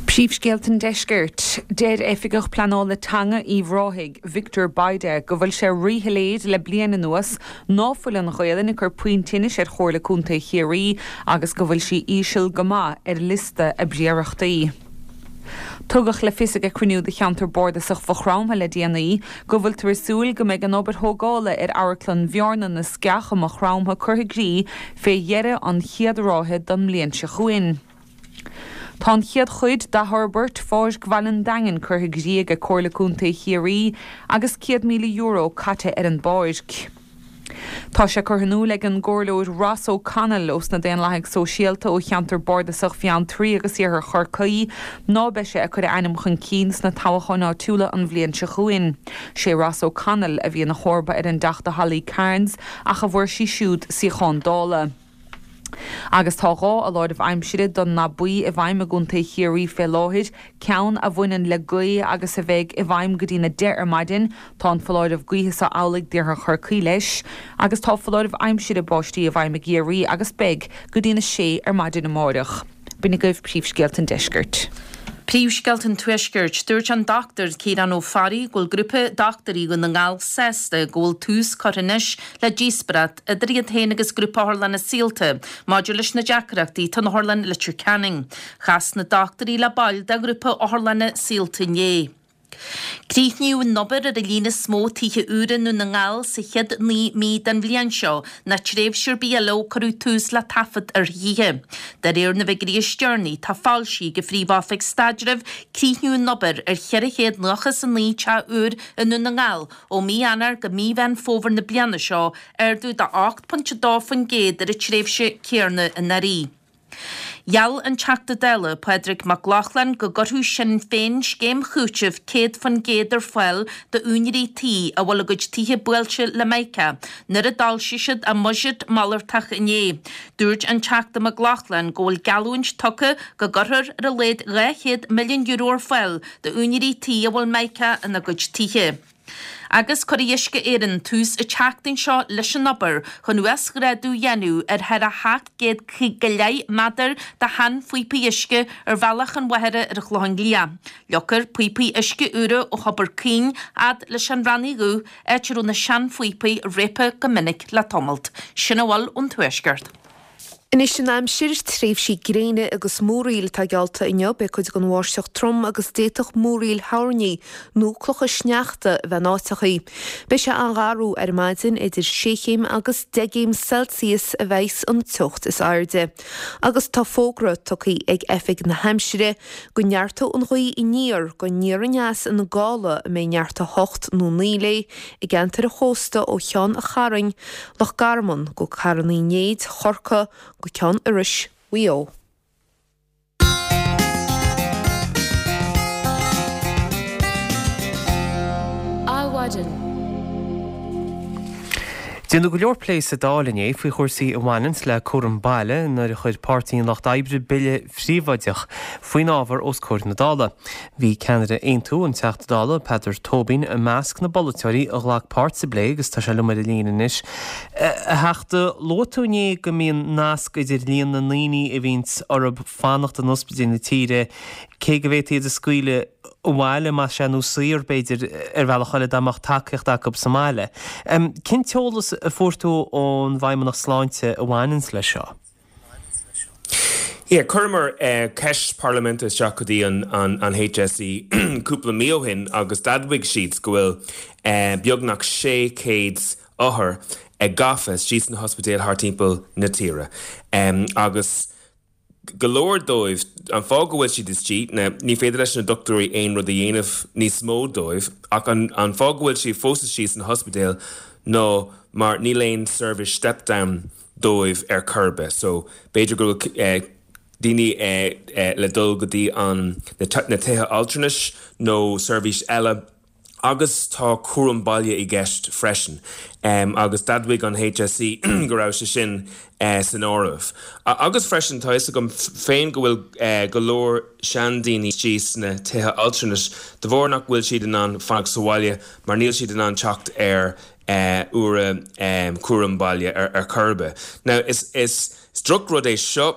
S4: Príomhscéalta an Deiscirt. Deir Oifigeach Pleanála Teanga Uíbh Ráthaigh, Victor Bayda, go bhfuil sé ríshoiléir le bliain anuas ná fuil an Ghaelainn ag cur puinn tinnis ar Chomhairle Contae Chiarraí agus go bhfuil sí íseal go maith ar liosta a bpríorachtaí. Tugadh le fios ag cruinniú de cheantar bardasach Mhaigh Chromtha le déanaí go bhfuiltear ag súil go mbeidh an obair thógála ar Amharclann Bhearna na Sceach i Maigh Chromtha curtha i gcrích fé dheireadh an chéad ráithe den mbliain seo chugainn. Tá an chéad chuid d'athfhorbairt Pháirc Bhaile an Daingin curtha i gcrích ag Comhairle Contae Chiarraí agus céad míle euro caite ar an bpáirc. Tá sé curtha in iúl ag an gComhairleoir Ross O'Connell ós na Daonlathaigh Sóisialta ó cheantar bardasach Bheanntraí agus Iarthar Chorcaí ná beidh sé ag cur a ainm chun cinn sna toghcháin áitiúla an bhliain seo chugainn. Sé Ross O'Connell a bhí ina chomharba ar an dTeachta Holly Cairns ach a bhfuair sí siúd suíochán Dála. Agus tá dhá fholáireamh aimsire don ndath buí i bhfeidhm i gContae Chiarraí fé láthair, ceann a bhaineann le gaoth agus a bheidh i bhfeidhm go dtína deich ar maidin, tá an foláireamh gaoithe so amhlaidh d'iarthar Chorcaí leis, agus tá foláireamh aimsire báistí i bhfeidhm i gCiarraí agus beidh go dtína sé ar maidin amáireach. B'in agaibh príomhscéalta an deiscirt.
S5: Príomhscéalta an Tuaiscirt. Dúirt an Dochtúir Ciarán Ó Fearraigh go bhfuil grúpa dochtúirí Dhún na nGall sásta go bhfuil tús curtha anois le díospóireacht idir iad féin agus Grúpa Otharlanna Saolta maidir leis na deacrachtaí atá in Otharlann Leitir Ceanainn. Chas na dochtúirí le baill de Ghrúpa Otharlanna Saolta inné. Críochnaíodh an obair ar an líon is mó tithe úra i nDún na nGall sa chéad naoi mí den bhliain seo ná tréimhse ar bith eile ó cuireadh tús le taifead ar thithe. De réir na bhfigiúirí is deireanaí atá foilsithe ag an Phríomh-Oifig Staidrimh, críochnaíodh an obair ar cheithre chéad nócha is a naoi teach úr i nDún na nGall ó mí Eanáir go mí Mheán Fómhair na bliana seo, ardú de ocht pointe dó faoin gcéad ar an tréimhse céanna anuraidh. Gheall an Teachta Dála Pádraig Mac Lochlainn go gcuirfeadh Sinn Féin scéim chúitimh céad faoin gcéad ar fáil d'úinéirí tí a bhfuil a gcuid tithe buailte le mica nuair a d'fhoilsigh siad a mbuiséad malartach inné. Dúirt an Teachta Mac Lochlainn go bhfuil geallúint tugtha go gcuirfear ar a laghad dhá chéad milliún euro ar fáil d'úinéirí tí a bhfuil mica ina gcuid tithe. Agus cuirfidh Uisce Éireann tús an tseachtain seo leis an obair chun uasghrádú a dhéanamh ar thar a sheacht gcéad go leith méadar de sheanphíopaí uisce ar Bhealach an Mhachaire ar an Chlochán Liath. Leagfar píopaí uisce úra ó Thobar Caoin fhad leis an Raithin Dhubh, áit a raibh na seanphíopaí réabtha go minic le tamalt. Sin a bhfuil ón Tuaisceart.
S3: Anois an aimsir, tréimhsí gréine agus múraíl atá geallta inniu, beidh cuid den bháisteach trom agus d'fhéadfadh múraíl thoirní nó clocha sneachta a bheith in áiteachaí. Beidh sé an-gharbh ar maidin, idir sé chéim agus deich gcéim Celsius a bheas an teocht is airde. Agus tá fógra tugtha ag Oifig na hAimsire go neartóidh an ghaoth aniar go aniar aneas ina gála a mbeidh neart a hocht nó naoi léi i gceantar an chósta ó Cheann an Chairn, Loch Garman go Carn Uí Néid, Chorcaí, go Ceann Iorrais, Mhaigh Eo.
S1: Adhmhaidin. Déanadh go leor plé sa Dáil inné faoi chúrsaí a bhaineanns le cúram baile nuair a chuir Páirtí an Lucht Oibre bille phríobháideach faoin ábhar os comhair na Dála. Bhí ceannaire Aontú, an Teachta Dála Peadar Tóibín, i measc na bpolaiteoirí a ghlac páirt sa bplé agus tá sé liom ar an líne anois. A Theachta, luaigh tú inné go mbíonn nasc idir líon na ndaoine a bhíonns orthu fanacht in ospidéil na tíre, cé go bhféadfaí iad a scaoileadh abhaile, más ea, nó saor, b'fhéidir, ar bhealach eile dá mbeadh tacaíocht acu sa mbaile. Cén t-eolas a fuair tú ón bhFeidhmeannacht Sláinte a bhaineanns leis seo?
S10: Yeah, chuireamar ceist parlaiminte isteach go dtí an an HSE cúpla mí ó shin agus d'admhaigh siad go bhfuil beagnach sé chéad othar gafa istigh sna hospidéil thart timpeall na tíre agus go leor dóibh, an fáth go bhfuil siad istigh, ná ní féidir leis na dochtúirí aon rud a dhéanamh níos mó dóibh, ach an an fáth go bhfuil siad fós istigh san ospidéal ná mar níl aon seirbhís step down dóibh ar chor ar bith. So b'fhéidir go bhfuil eh, daoine eh, eh, le dul go dtí an na tithe altranais nó seirbhís eile Agus tá cúram baile i gceist freisin, agus d'admhaigh an HSE go raibh sé sin san áireamh. Agus freisin, tá fhios agam féin go bhfuil go leor seandaoine istigh sna tithe altranais de bharr nach bhfuil siad in ann fanacht sa bhaile mar níl siad in ann teacht ar uair cúram baile ar chor ar bith. Now, is is. Is drochrud é seo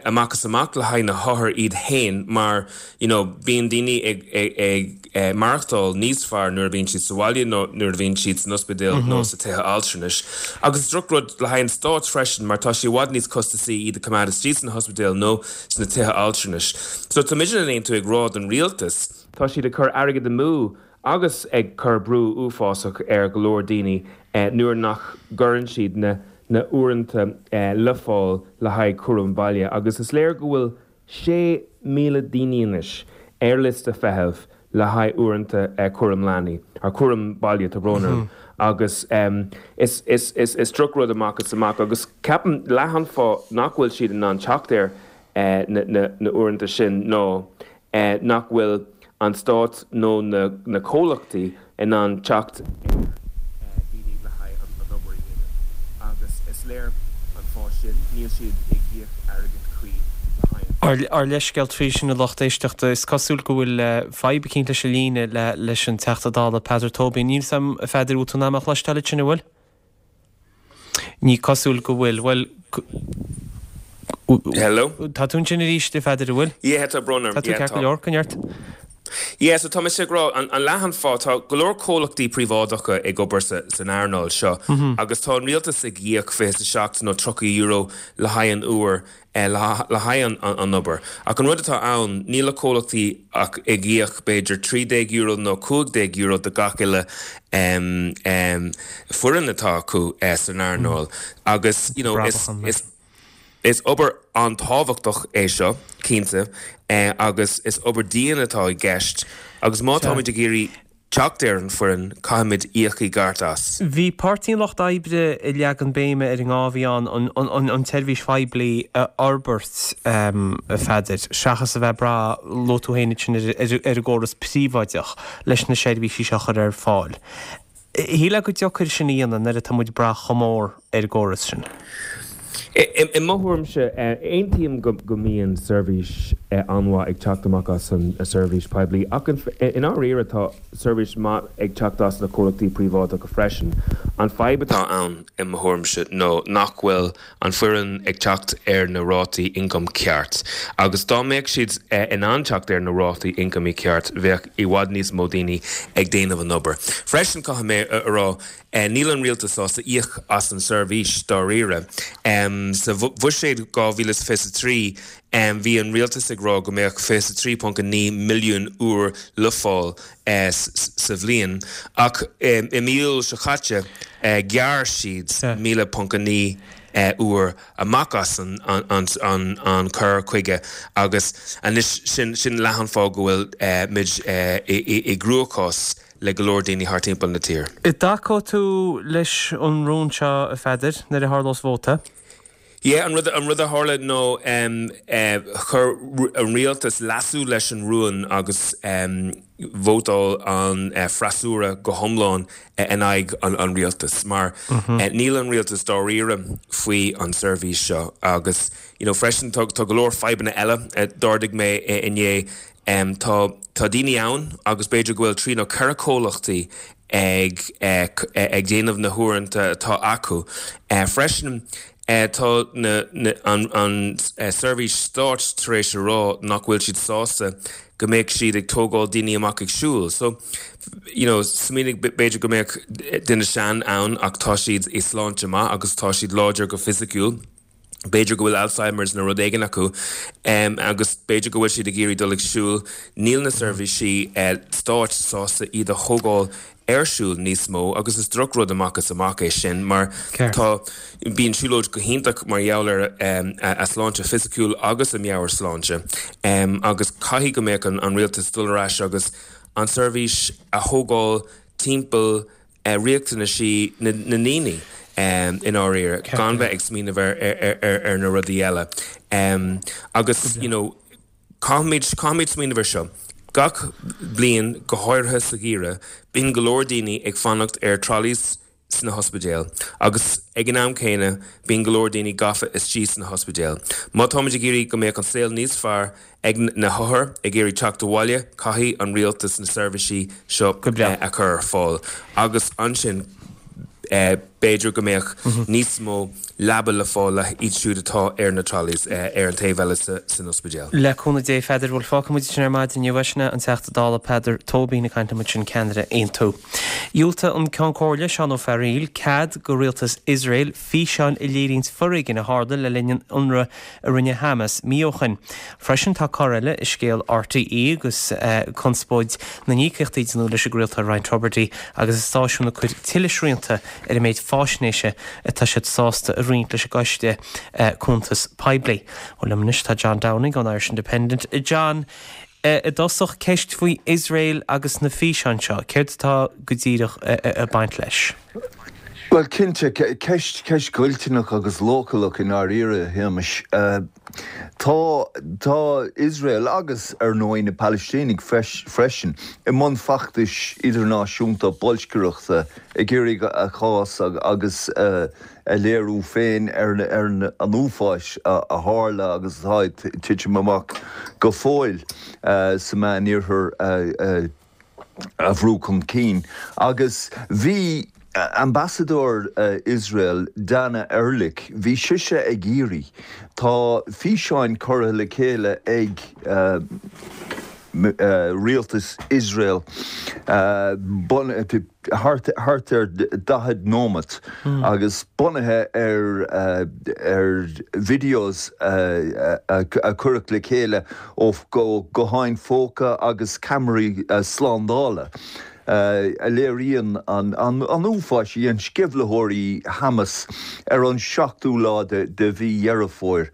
S10: amach is amach le haghaidh na hothair iad féin mar you know bíonn daoine ag ag maireachtáil níos fearr nuair a bhíonn siad sa bhaile nó nuair a bhíonn siad san ospidéal nó sa tithe altranais. Agus is drochrud le haghaidh an stáit freisin mar tá sé i bhfad níos costasaí iad a choimeád istigh sna hospidéil nó sna tithe altranais. So tá muidne in Aontú ag rá don rialtas, tá siad ag cur airgead amú agus ag cur brú uafásach ar go leor daoine nuair nach gcuireann siad na na uaireanta le fáil le haghaidh cúram baile agus is léir go bhfuil sé míle daoine anois ar liosta feithimh le haghaidh uaireanta cúram leanaí, or cúram baile, tá brón orm, agus is is is is drochrud amach is amach agus ceapaim leath an fáth nach bhfuil siad in ann teacht ar na na na uaireanta sin ná nach bhfuil an stát nó na comhlachtaí in ann teacht ar dhaoine le haghaidh an obair a dhéanamh agus is léir an fáth sin, níl siad ag íoc airgead cuí le haghaidh an.
S1: Ár leithscéal faoi sin a lucht éisteachta. Is cosúil go bhfuil fadhb eicínt leis an líne leis an Teachta Dála Peadar Tóibín. Níl 's a'm a Pheadair, bhfuil tú in ann mé a chloisteáil ansin, an bhfuil? Ní cosúil go bhfuil. Bhuel,
S10: Hello?
S1: Tá tú ansin arís, a Pheadair, an bhfuil?
S10: Yeah, tá brón orm.
S1: Tá tú ceart go leor, coinnigh ort.
S10: Yeah, so tá mise ag rá, an leath an fáth, tá go leor comhlachtaí príobháideacha ag obair san earnáil seo agus tá an rialtas ag íoc fiche is a seacht nó tríocha euro le haghaidh an uair le haghaidh an obair. Ach an rud atá ann, níl na comhlachtaí ach ag íoc b'fhéidir trí déag euro nó cúig déag euro do gach uile foireann atá acu san earnáil agus you know is is is obair an-tábhachtach é seo, cinnte, agus is obair dian atá i gceist agus má táimid ag iarraidh teacht ar an foireann, caithfimid íoc i gceart as.
S1: Bhí Páirtí an Lucht Oibre ag leagan béime ar an ngá a bhí ann an tseirbhís phoiblí a fhorbairt, a Pheadair, seachas a bheith ag brath, luaigh tú féin ansin, ar an gcóras príobháideach leis na seirbhísí seo a chur ar fáil. Shílfeá gur deacair sin a dhéanamh nuair atá muid ag brath chomh mór ar an gcóras sin.
S10: I mo thuairimse, aontaím go mbíonn seirbhís an-mhaith ag teacht amach as an seirbhís poiblí ach i ndáiríre tá seirbhís maith ag teacht as na comhlachtaí príobháideacha freisin. An fadhb atá ann i mo thuairimse nó nach bhfuil an foireann ag teacht ar na rátaí ioncaim ceart agus dá mbeadh siad in ann teacht ar na rátaí ioncaim ceart bheadh i bhfad níos mó daoine ag déanamh an obair. Freisin caithfidh mé a rá Níl an rialtas sásta íoc as an seirbhís dáiríre. Sa bhuiséad dhá mhíle is fiche a trí bhí an rialtas ag rá go mbeadh fiche a trí ponc a naoi milliún uair le fáil sa bhliain ach i mí Iúil seo caite ghearr siad míle ponc a naoi uair amach as an cur chuige agus anois sin leath an fáth go bhfuil muid i gcruachás le go leor daoine thart timpeall na tíre.
S1: An dtacóidh tú leis an rún seo, a Pheadair, nuair a tharlós vóta?
S10: Yeah, an rud, an rud a tharla nó chuir an rialtas leasú leis an rún agus vótáil an freasúra go hiomlán in aghaidh an rialtais mar níl an rialtas dáiríre faoi an seirbhís seo agus you know freisin tá go leor fadhbanna eile a d'ardaigh mé inné. Tá tá daoine ann agus b'fhéidir go bhfuil trí nó ceithre comhlachtaí ag ag déanamh na huaireanta atá acu. Freisin tá na na an an seirbhís stáit tar éis a rá nach bhfuil siad sásta go mbeadh siad ag tógáil daoine amach ag siúl. So you know smaoinigh b'fhéidir go mbeadh duine sean ann ach tá siad i sláinte maith agus tá siad láidir go fisiciúil. B'fhéidir go bhfuil Alzheimer's nó rud éigin acu agus b'fhéidir go bhfuil siad ag iarraidh dul ag siúl. Níl na seirbhísí stáit sásta iad a thógáil ar siúl níos mó agus is drochrud amach is amach é sin mar tá, bíonn siúlóid go hiontach mar gheall ar a sláinte fisiciúil agus a meabhairshláinte agus caithfidh go mbeadh an rialtas dul ar ais agus an seirbhís a thógáil timpeall riachtanaisí na ndaoine i ndáiríre, gan bheith ag smaoineamh ar na rudaí eile. Agus, you know, caithfimid, caithfimid smaoineamh ar seo. Gach bliain, go háirithe sa gheimhreadh, bíonn go leor daoine ag fanacht ar trolleys sna hospidéil agus ag an am céanna bíonn go leor daoine gafa istigh sna hospidéil. Má táimid ag iarraidh go mbeadh an saol níos fearr ag na hothair ag iarraidh teacht abhaile, caithfidh an rialtas na seirbhísí seo a chur ar fáil agus ansin b'fhéidir go mbeadh níos mó leaba le fáil le iad siúd atá ar na trolleys ar an taobh eile san ospidéal.
S1: Le cúnamh Dé, a Pheadair, bhuel fágfaidh muid sin ar maidin inniu. Sin é an Teachta Dála Peadar Tóibín ag caint liom ansin, ceannaire Aontú. Dhiúltaigh an Ceann Comhairle, Seán Ó Fearghaíl, cead go rialtas Iosrael físeáin a léiríonns foréigean a tharla le linn an ionraidh a rinne Hamas mí ó shoin. Freisin tá cor eile i scéal RTÉ agus conspóid na n-íocaíochtaí a deineadh leis an gcraoltóir Ryan Tubridy agus an stáisiún ag cur tuilleadh srianta ar an méid faisnéise atá siad sásta a roinnt leis an gCoiste Cuntas Poiblí. Bhuel liom anois tá John Downing ón Irish Independent. John, i dtosach, ceist faoi Iosrael agus na físeáin seo, céard atá go díreach ag baint leis?
S11: Bhuel, cinnte, ceist, ceist dhoilteanach agus leochaileach i ndáiríre, a Shéamais. Tá, tá Iosrael agus, ar ndóigh, na Palaistínigh freisin, i mbun feachtais idirnáisiúnta boilscireachta ag iarraidh a chás agus a léiriú féin ar an uafáis a tharla agus atá ag titim amach go fóill sa Meánoirthear a a bhrú chun cinn agus bhí Ambasadóir Iosrael, Dana Erlich, bhí sise ag iarraidh, tá físeáin curtha le chéile ag rialtas Iosrael thart ar daichead nóimeat agus bunaithe ar ar videos a cuireadh le chéile ó ghutháin phóca agus ceamaraí slándála a léiríonn an uafáis a dhein sceimhlitheoirí Hamas ar an seachtú lá de mhí Dheireadh Fómhair.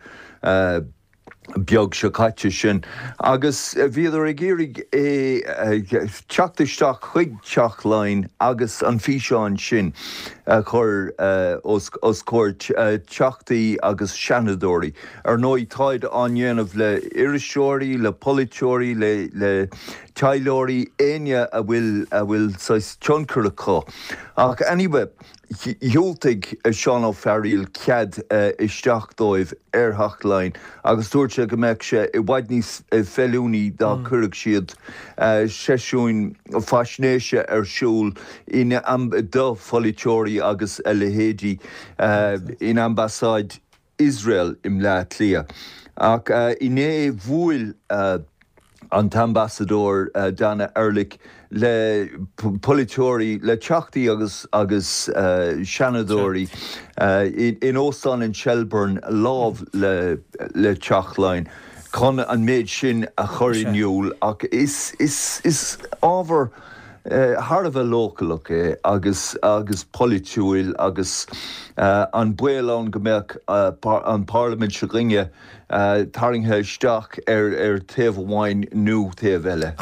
S11: beag seo caite sin agus bhíodar ag iarraidh é teacht isteach chuig Teach Laighean agus an físeán sin a chur os os comhair teachtaí agus seanadóirí. Ar ndóigh táid á ndéanamh le iriseoirí, le polaiteoirí, le le taidhleoirí, éinne a bhfuil a bhfuil saghas tionchar acu. Ach anyway, dhiúltaigh Seán Ó Fearghaíl cead isteach dóibh ar Theach Laighean agus dúirt sé go mbeadh sé i bhfad níos feiliúnaí dá gcuirfeadh siad seisiúin faisnéise ar siúl in do pholaiteoirí agus a leithéidí in Ambasáid Iosrael i mBleá Cliath. Ach inné bhuail an tAmbasadóir Dana Erlich le polaiteoirí, le teachtaí agus agus seanadóirí in Óstán an Shelbourne lámh le le Teach Laighean chun an méid sin a chur in iúl ach is is is ábhar thar a bheith leochaileach é agus agus polaitiúil agus an baol ann go mbeadh an Pharlaimint s'againne tarraingthe isteach ar ar taobh amháin nó taobh eile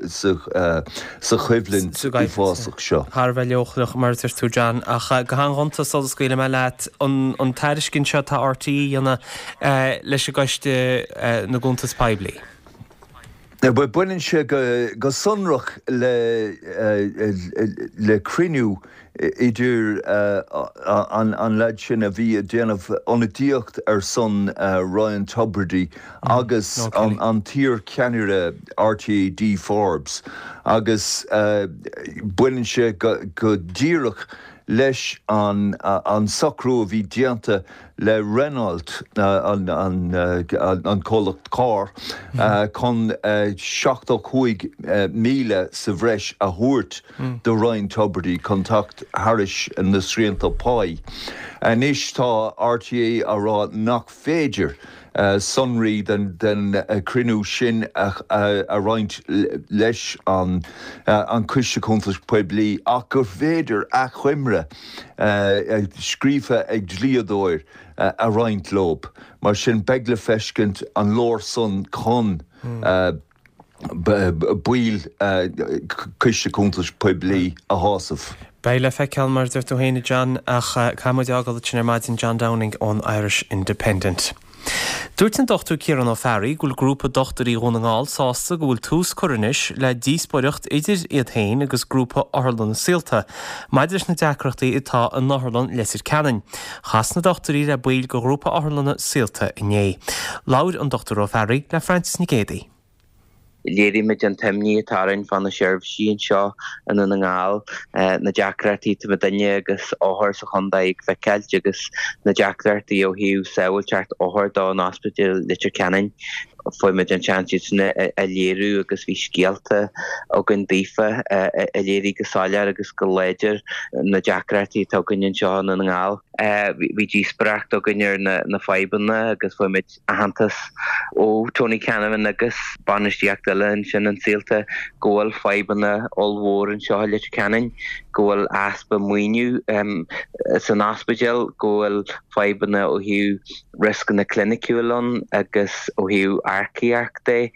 S11: sa sa choimhlint uafásach seo.
S1: Thar a bheith leochaileach mar a deir tú John, ach go han-ghonta sula scaoilfidh mé leat an an tairiscint seo atá RTÉ a dhéanamh leis an gCoiste na gCuntas Poiblí.
S11: Baineann sé go sonrach le le cruinniú idir an an leaid sin a bhí ag déanamh ionadaíocht ar son Ryan Tubridy agus an an t-iar-cheannaire RTÉ Dee Forbes agus baineann sé go díreach leis an an socrú a bhí déanta le Renault, an an comhlacht carr, chun seachtó cúig míle sa bhreis a thabhairt do Ryan Tubridy chun teacht thairis na srianta páí. Anois tá RTÉ á rá nach féidir sonraí den chruinniú sin a roinnt leis an Coiste Cuntas Poiblí ach gur féidir achoimre scríofa ag dlíodóir a roinnt leo. Mar sin beidh le feiscint an leor san chun baill Coiste Cuntas Poiblí a shásamh.
S1: Beidh le feiceáil mar a deir tú féin a John ach caithfidh muid a fhágáil ansin ar maidin John Downing ón Irish Independent. Dúirt an Dochtúir Ciarán Ó Fearraigh go bhfuil grúpa dochtúirí Dhún na nGall sásta go bhfuil tús curtha anois le díospóireacht idir iad féin agus grúpa Otharlanna Saolta maidir leis na deacrachtaí atá in Otharlann Leitir Ceanainn. Chas na dochtúirí le baill de ghrúpa Otharlanna Saolta inné. Labhair an Dochtúir Ó Fearraigh le Frances Nic Géadaigh.
S12: Léirigh muid an t-imní atá orainn fá na seirbhísí anseo i nDún na nGall, na deacrachtaí atá muidinne agus othair sa chontae ag feiceáilt agus na deacrachtaí ó thaobh sábháilteacht othar don Ospidéal Leitir Ceanainn. Fuair muid an seans iad sin a léiriú agus bhí scéalta againn daofa a léirigh go soiléir agus go láidir na deacrachtaí atá againn anseo i nDún na nGall. Bhí díospóireacht againn ar na fadhbanna agus fuair muid aitheantas ó Tony Canavan agus bainistíocht eile ansin in Saolta go bhfuil fadhbanna ollmhór anseo i Leitir Ceanainn, go bhfuil easpa maoiniú san ospidéal, go bhfuil fadhbanna ó thaobh rioscanna cliniciúil ann agus ó thaobh earcaíocht de.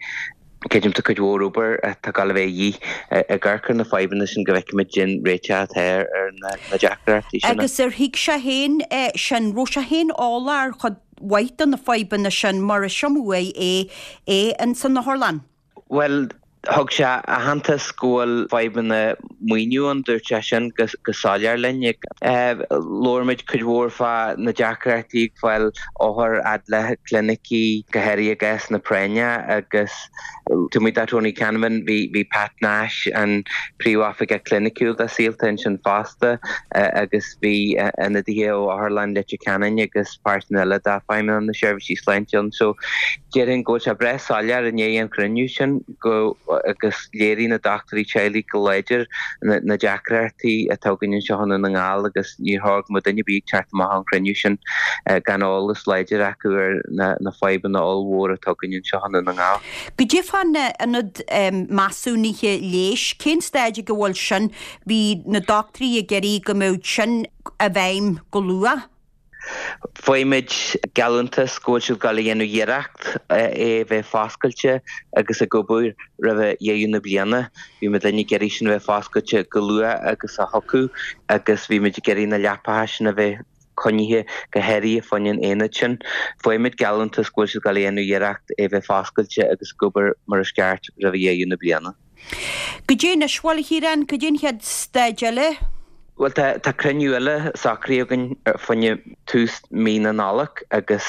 S12: Creidim tá cuid mhór obair atá ag gabháil a bheith a dhíth ag amharc ar na fadhbanna sin go bhfeicfimid cén réiteach atá ar na deacrachtaí sin.
S13: Agus ar thuig sé féin sin? Raibh sé féin eolach ar chuid mhaith de na fadhbanna sin mar is iomaí uair é é ins an otharlann?
S12: Bhuel, thug sé aitheantas go bhfuil fadhbanna maoiniú ann, dúirt sé sin go soiléir linn. Labhair muid cuid mhór fá na deacrachtaí ag fáil othar fhad le clinicí, go háirithe i gcásanna práinne agus taobh amuigh de Tony Canavan bhí Pat Nash, an Príomhoifigeach Cliniciúil do Saolta ansin fosta agus bhí ionadaithe ó Otharlann Leitir Ceanainn agus páirteanna eile de Feidhmeannacht na Seirbhísí Sláinte ann. So déarfainn go bhfuil sé breá soiléir i ndiaidh an chruinniú sin go agus léirigh na dochtúirí teaghlaigh go láidir na deacrachtaí atá againn anseo i nDún na nGall agus níor chóir go mbeadh duine ar bith ag teacht amach ón chruinniú sin gan eolas láidir acu ar na fadhbanna ollmhóra atá againn anseo i nDún na nGall.
S13: Goidé fán ionad measúnaithe leighis, cén staid ag a bhfuil sin? Bhí na dochtúirí ag iarraidh go mbeadh sin i bhfeidhm go luath.
S12: Fuair muid geallúntas go bhfuil siad ag gabháil a dhéanamh iarracht é a bheith foscailte agus ag obair roimh dheireadh na bliana. Bhí muidinne ag iarraidh sin a bheith foscailte chomh luath agus a thiocfadh agus bhí muid ag iarraidh na leapacha sin a bheith coinnithe go háirithe fá choinne an aonad sin. Fuair muid geallúntas go bhfuil siad ag gabháil a dhéanamh iarracht é a bheith foscailte agus ag obair mar is ceart roimh dheireadh na bliana.
S13: Goidé anois, bhuel, a Chiaráin, goidé an chéad staid eile?
S12: Bhuel, tá tá cruinniú eile socraithe againn fá choinne tús mí na Nollag agus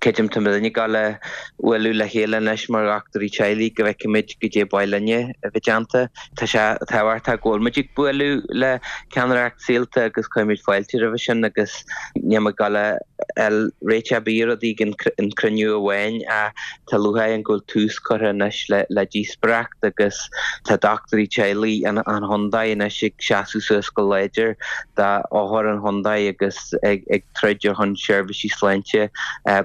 S12: creidim tá muidinne ag gabháil a bhualadh le chéile anois mar dhochtúirí teaghlaigh go bhfeicfimid goidé ba mhaith linne a bheith déanta. Tá sé tábhachtach go bhfuil muid ag bualadh le ceannaireacht Saolta agus cuirimid fáilte roimhe sin agus níl muid ag gabháil a fháil réiteach ar bith ar rudaí ag an cruinniú amháin ach tá lúcháir orainn go bhfuil tús curtha anois le díospóireacht agus tá dochtúirí teaghlaigh an chontae anois ag seasamh suas go láidir d'othair an chontae agus ag troid ar shon seirbhísí sláinte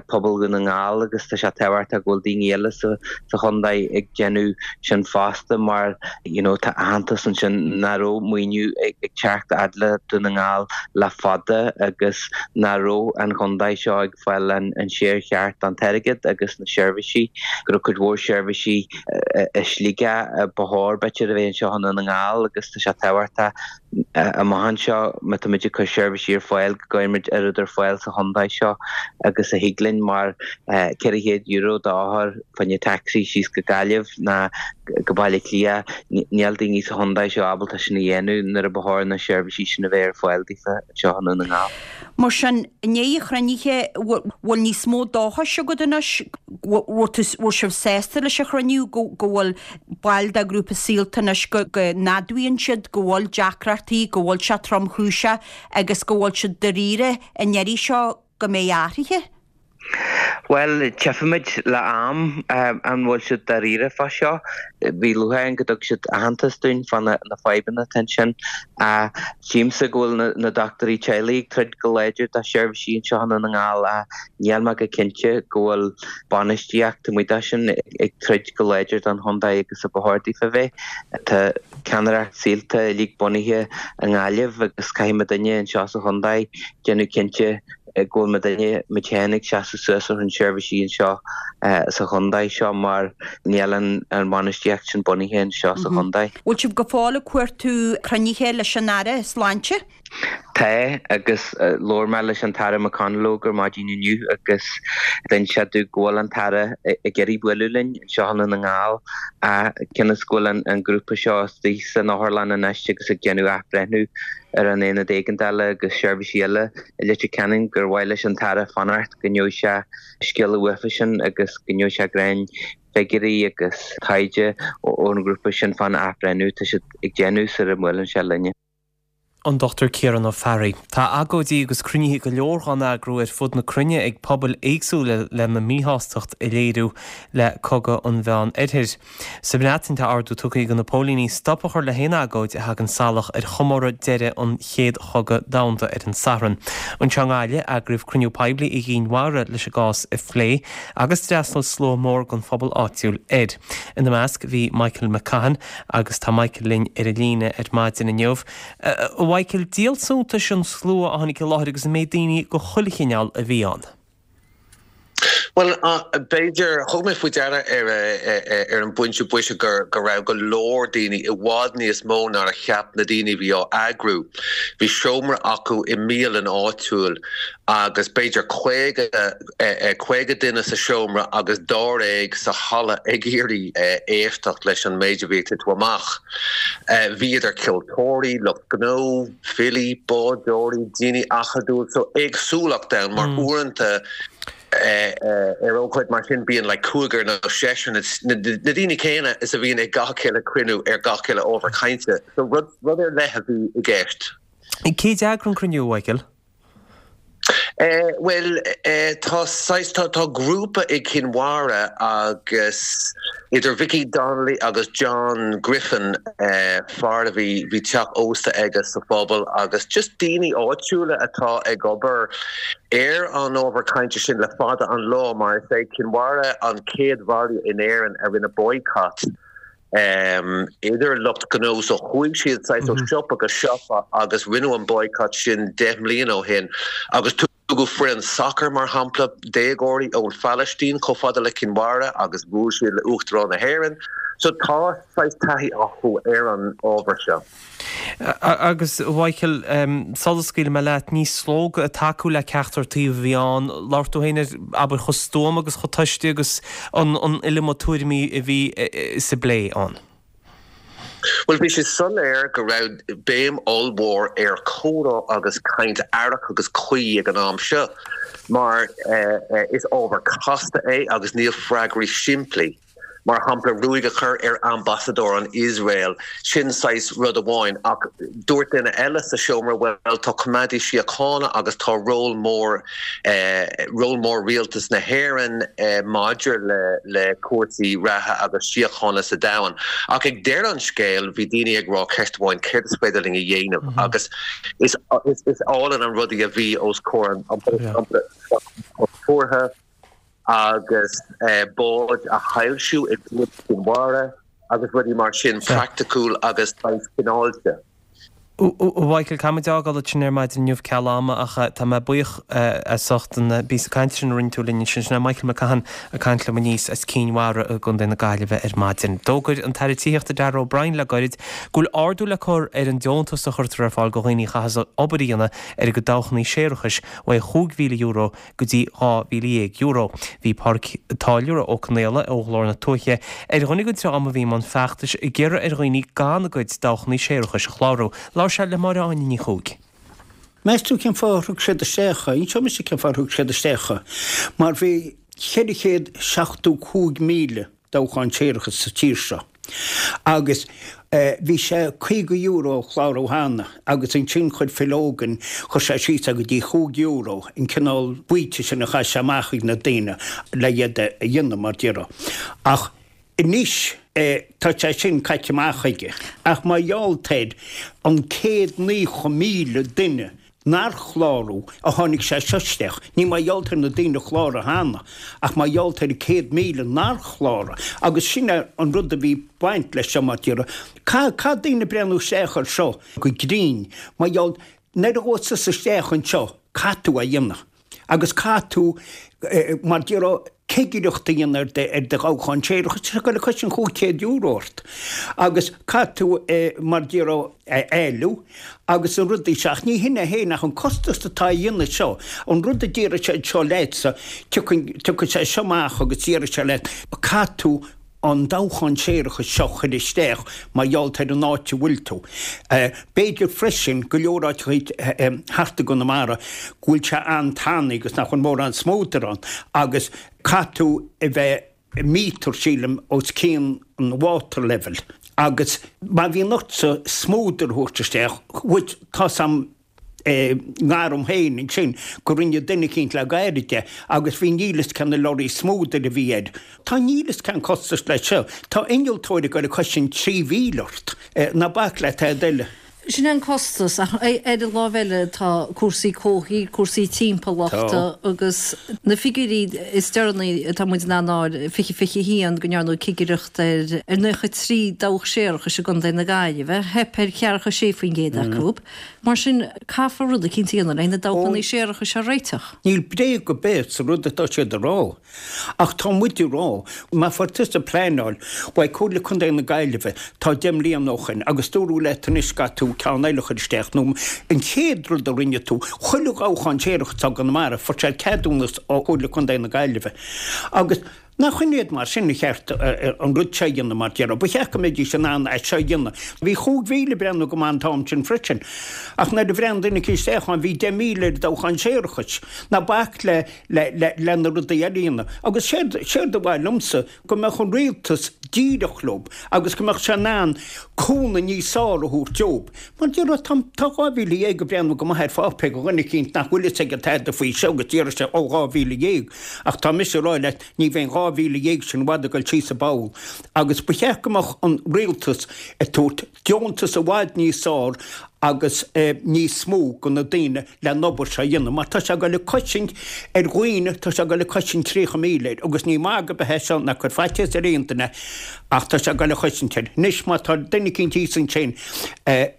S12: pobal Dhún na nGall agus tá sé tábhachtach go bhfuil daoine eile sa chontae ag déanamh sin fosta mar you know tá aitheantas ansin nach raibh maoiniú ag teacht fhad le Dún na nGall le fada agus nach raibh an chontae seo ag fáil an share cheart den t-airgead agus na seirbhísí, go raibh cuid mhór seirbhísí i Sligeach ba chóir b'fhéidir a bheith anseo i nDún na nGall agus tá sé tábhachtach amach anseo má tá muid ag cur seirbhísí ar fáil go gcuireann muid oiread ar fáil sa chontae seo agus a thig linn mar ceithre chéad euro d'othar fá choinne taxi síos go Gaillimh ná go Baile Átha Cliath, níl daoine sa chontae seo ábalta sin a dhéanamh nuair a ba chóir na seirbhísí sin a bheith ar fáil daofa anseo i Ndún na nGall.
S13: Mar sin, i ndiaidh an chruinnithe, bhfuil níos mó dóchais agat anois, bhfuil sibh sásta leis an chruinniú, go bhfuil baill de ghrúpa Saolta anois, go n-admhaíonn siad go bhfuil deacrachtaí, go bhfuil sé tromchúiseach agus go bhfuil siad dáiríre an iarraidh seo go mbeidh athruithe?
S12: Bhuel, tchífimid le am an bhfuil siad dáiríre fá seo. Bhí lúcháir orainn go dtug siad aitheantas dúinn fá na fadhbanna atá ansin. Tchímse go bhfuil na dochtúirí teaghlaigh ag troid go láidir do sheirbhísí anseo i nDún na nGall ach níl mé go cinnte go bhfuil bainistíocht amuigh de sin ag troid go láidir don chontae agus a ba chóir daofa bheith. Tá ceannaireacht Saolta uilig bunaithe i nGaillimh agus caithfidh muidinne anseo sa chontae déanamh cinnte go bhfuil muidinne, muid féin ag seasamh suas ar son seirbhísí anseo sa chontae seo mar níl an bhainistíocht sin bunaithe anseo sa chontae.
S13: Bhfuil sibh go fóill ag cuartú cruinnithe leis an Aire Sláinte?
S12: Tá, agus labhair mé leis an tAire McConalogue ar maidin inniu agus d'inis sé domh go bhfuil an tAire ag iarraidh bualadh linn anseo i nDún na nGall ach cionn is go bhfuil an grúpa seo istigh san otharlann anois agus ag déanamh athbhreithniú ar an aonad éigeandála agus seirbhísí eile i Leitir Ceanainn gur mhaith leis an tAire fanacht go ngeobhaidh sé scéala uafa sin agus go ngeobhaidh sé greim figiúirí agus taighde ón ngrúpa sin fán athbhreithniú atá siad ag déanamh sar a mbuaileann sé linne.
S1: An Dochtúir Ciarán Ó Fearraigh. Tá agóidí agus cruinnithe go leor dhá n-eagrú ar fud na cruinne ag pobail éagsúla lena míshástacht a léiriú le cogadh an Mheán Oirthir. Sa mBreatain tá ordú tugtha ag na póilíní stop a chur le haon agóid a thagann salach ar chomóradh deireadh an Chéad Chogadh Domhanda ar an Satharn. Anseo i nGaillimh, eagraíodh cruinniú poiblí i gCinn Mhara leis an gcás a phlé agus d'fhreastail slua mór den phobal áitiúil air. Ina measc bhí Michael McCaughan agus tá Michael linn ar an líne ar maidin inniu. A Mhichael, díol suntais an slua a tháinig i láthair agus an méid daoine de chuile chineál a bhí ann.
S14: Bhuel, b'fhéidir, thug mé faoi deara ar ar an bpointe boise go go raibh go leor daoine, i bhfad níos mó ná a cheap na daoine a bhí á eagrú. Bhí seomra acu i mbialann áitiúil agus b'fhéidir caoga caoga duine sa seomra agus dáréag sa halla ag iarraidh éisteacht leis an méid a bhí ag titim amach. Bhí idir ceoltóirí, lucht gnó, filí, bádóirí, daoine acadúil, so éagsúlacht ann mar uaireanta ar ócáid mar sin bíonn like cúigear nó seisear na daoine céanna is a bhíonn ag gach uile cruinniú ar gach uile ábhar cainte. So rud rud ar leith a bhí i gceist.
S1: Cé d'eagraigh an cruinniú, a Mhichael?
S14: Bhuel, tá saghas, tá tá grúpa i gCinn Mhara agus idir Vicky Donnelly agus John Griffin, fear a bhí, bhí teach ósta aige sa phobal agus just daoine áitiúla atá ag obair ar an ábhar cainte sin le fada an lá mar is é Cinn Mhara an chéad bhaile in Éirinn a rinne boycott idir lucht gnó so chuaigh siad saghas ó siopa go siopa agus rinneadh an boycott sin deich mbliana ó shin agus Tugadh foireann sacair, mar shampla, déagóirí ón Phalaistín chomh fada le Cinn Mhara agus bhuail siad le Uachtarán na hÉireann. So tá saghas taithí acu ar an ábhar seo.
S1: Agus, a Mhichael, sula scaoilfidh mé leat, ní slógadh ag tacú le ceachtar taobh a bhí ann. Labhair tú féin ar, abair, chomh stuama agus chomh tomhaiste agus an iliomad tuairimí a bhí sa bplé ann.
S14: Bhuel, bhí sé soiléir go raibh béim ollmhór ar chomhrá agus caint aireach agus cuí ag an am seo, mar is ábhar casta é agus níl freagraí simplí. Mar shampla, ruaig a chur ar ambasadóir an Iosrael, sin saghas rud amháin, ach dúirt duine eile sa seomra, bhuel, tá coimeádaí síochána agus tá ról mór, ról mór rialtas na hÉireann maidir le le cúrsaí reatha agus síochána sa domhan. Ach ag deireadh an scéil, bhí daoine ag rá ceist amháin, céard is féidir linn a dhéanamh? Agus is is álainn an rud é a bhí os comhair an cultúrtha agus báid a shoilsiú i gCuan Chinn Mhara agus rudaí mar sin, praiticiúil agus saghas cineáilte.
S1: A Mhichael, caithfidh muid a fhágáil ansin ar maidin inniu ceal ama ach tá mé buíoch as ucht an bpíosa cainte sin a rinne tú linn ansin. Sin é Michael McCaughan ag caint liom aníos as Cinn Mhara i gContae na Gaillimhe ar maidin. D'fhógair an tAire Tithíochta Darragh O'Brien le gairid go bhfuil ardú le cur ar an deontas a chuirtear ar fáil do dhaoine a chaitheas obair a dhéanamh ar a gcuid dabhchannaí séarachais ó chúig mhíle euro go dtí dhá mhíle dhéag euro. Bhí Pádraig Táilliúra Ó Conaola ó Ghlór na Tuaithe ar dhuine den dream a bhí i mbun feachtais ag iarraidh ar dhaoine gan a gcuid dabhchannaí séarachais a chlárú. Labhair sé le Máire Áine Ní Chuaig.
S15: Meas tú cén fáth ar thug siad isteach é? Inseoidh mise cén fáth ar thug siad isteach é. Mar bhí ceithre chéad seachtó cúig míle dabhchán séarachais sa tír seo agus bhí sé caoga euro a chlárú cheana agus ansin chuir Phil Hogan, chuir sé síos é go dtí chúig euro, an cineál baoite sin a chaith sé amach ag na daoine le iad a dhéanamh mar déarfá. Ach anois tá sé sin caite amach aige. Ach mar gheall ar an céad naocha míle duine nár chlárú a tháinig sé seo isteach. Ní mar gheall ar na daoine a chláraigh cheana, ach mar gheall ar an céad míle nár chláraigh. Agus sin é an rud a bhí baint leis seo mar déarfá. Caithfidh daoine breathnú isteach ar seo go grinn, mar gheall nuair a ghabhas tusa isteach anseo, caithfidh tú é a dhéanamh. Agus caithfidh tú, mar déarfá, cigireacht a dhéanamh ar do dhabhchán séarachais, tá sé ag goil ag cois an chúig chéad euro ort. Agus caithfidh tú, mar déarfá, a éiliú agus na rudaí seo. Ach ní hin é féin ach an costas atá á dhéanamh seo. An rud a déarfaidh sé seo leatsa, tiocfaidh sé seo amach agus déarfaidh sé leat, caithfidh tú an dabhchán séarachais seo a chur isteach mar gheall ar an áit a bhfuil tú. B'fhéidir freisin, go leor áiteacha thart i gConamara go bhfuil sé an-tanaí agus nach bhfuil mórán smúdair ann agus caithfidh tú a bheith míotar, sílim, os cionn an water level agus má bhíonn ortsa smúdar a thabhairt isteach, tá's a'm i ngar dom féin ansin go rinne duine eicínt le gairid é agus bhí níl fhios cé na lorraí smúdair a bhí air. Tá níl fhios cén costas leis seo. Tá innealtóir ag goil ag cois an trí mhíle ort. Ná bac le tada eile.
S16: Sin é an costas, ach ar an lámh eile tá cúrsaí comhshaoil, cúrsaí timpeallachta agus na figiúirí is deireanaí atá muid in ann a fháil, fiche fiche a haon, go ndearnadh cigireacht ar nócha trí dabhach séarachais i gContae na Gaillimhe, theip ar cheathracha sé faoin gcéad acu. Mar sin, caithfear rud eicínt a dhéanamh le na dabhchannaí séarachais a réiteach.
S15: Níl bréag ar bith sa rud atá siad a rá. Ach tá muid a rá, má fuair tusa pleanáil uaidh Comhairle Contae na Gaillimhe, tá deich mbliana ó shoin, agus dúradh leat anois go gcaithfidh tú ceann eile a chur isteach, nó an chéad rud a rinne tú, chuile dhabhchán séarachais atá i gConamara, fuair sé ceadúnas ó Chomhairle Contae na Gaillimhe. Agus. Nach in iad mar sin a cheart an rud seo a dhéanamh mar déarfá. Ba cheart go mbeidís in ann é seo a dhéanamh. Bhí chúig mhíle ag breathnú go maith an t-am sin freisin. Ach nuair a bhreathnaigh duine eicínt isteach ann bhí deich míle ar dabhchán séarachais. Ná bac le le le na rudaí eile a dhéanamh. Agus séard séard a mhaith liomsa go mbeadh an rialtas díreach leob agus go mbeadh sé in ann cúnamh níos fearr a thabhairt dóibh. Mar déarfá tá tá dhá mhíle dhéag ag breathnú go maith ar pháipéar do dhuine eicínt nach bhfuil fhios aige tada faoi seo agus déarfaidh sé ó dhá mhíle dhéag ach tá mise a rá leat ní bheidh an dhá dhá mhíle dhéag sin i bhfad ag dul síos an bpoll agus ba cheart go mbeadh an rialtas ag tabhairt deontas i bhfad níos fearr agus níos mó go na daoine le an obair seo a dhéanamh mar tá sé ag dul ag cosaint ar dhaoine, tá sé ag dul ag cosaint tríocha míle air agus ní magadh ar bith é seo ná cur faitíos ar aon duine ach tá sé ag dul ag cosaint air. Anois má tá duine eicínt thíos ansin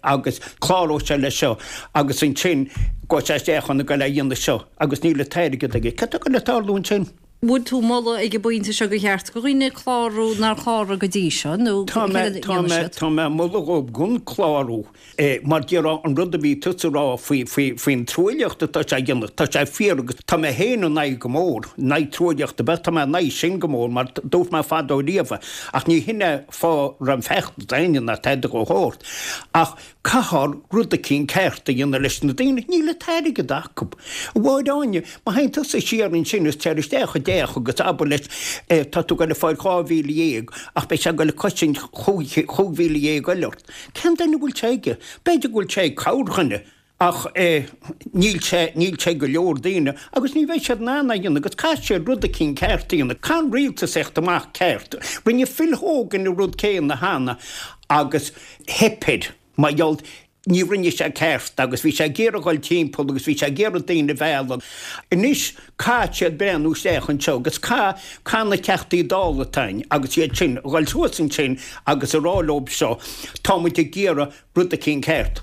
S15: agus cláróidh sé leis seo agus ansin gabhfaidh sé isteach chun a ghoil a dhéanamh seo agus níl an t-airgead aige. Cad tá ag dul ag tarlú ansin?
S16: Bhfuil tú ag moladh ag an bpointe seo gur cheart do dhaoine clárú nár chláraigh go dtí seo nó
S15: Tá mé,
S16: céard a
S15: tá
S16: dhéanfaidh
S15: mé,
S16: siad?
S15: tá mé ag moladh dhóibh chun clárú mar déarfá an rud a bhí tusa a rá faoi, faoi, faoin truaillíocht atá sé a dhéanamh, tá sé fíor agus tá mé féin in aghaidh go mór, in aghaidh truaillíocht ar bith, tá mé in aghaidh sin go mór mar dúirt mé fadó riamh ach ní hin é fáth raibh an feachtas éinne ná tada dhó thabhairt ach Caithfear rud eicínt ceart a dhéanamh leis na daoine, níl an t-airgead acu. A Mháire Áine, má théann tusa siar ansin is téir isteach i dteach agus abair leis, tá tú ag goil ag fáil dhá mhíle dhéag ach beidh sé ag goil ag cosaint chúig mhíle dhéag eile ort. Cén duine a bhfuil sé aige? B'fhéidir go bhfuil sé ag corrdhuine ach níl sé, níl sé ag go leor daoine agus ní bheidh siad in ann é a dhéanamh agus caithfidh siad rud eicínt ceart a dhéanamh. Caithfidh an rialtas theacht amach ceart. Rinne Phil Hogan an rud céanna cheana agus theip air. Mar gheall, ní rinne sé ceart agus bhí sé ag iarraidh dhul timpeall agus bhí sé ag iarraidh daoine a mhealladh. Anois caithfidh siad breathnú isteach anseo agus caithfidh, caithfidh na Teachtaí Dála atá ann agus iad sin a dhul suas ansin agus a rá leob seo, tá muid ag iarraidh rud eicínt ceart.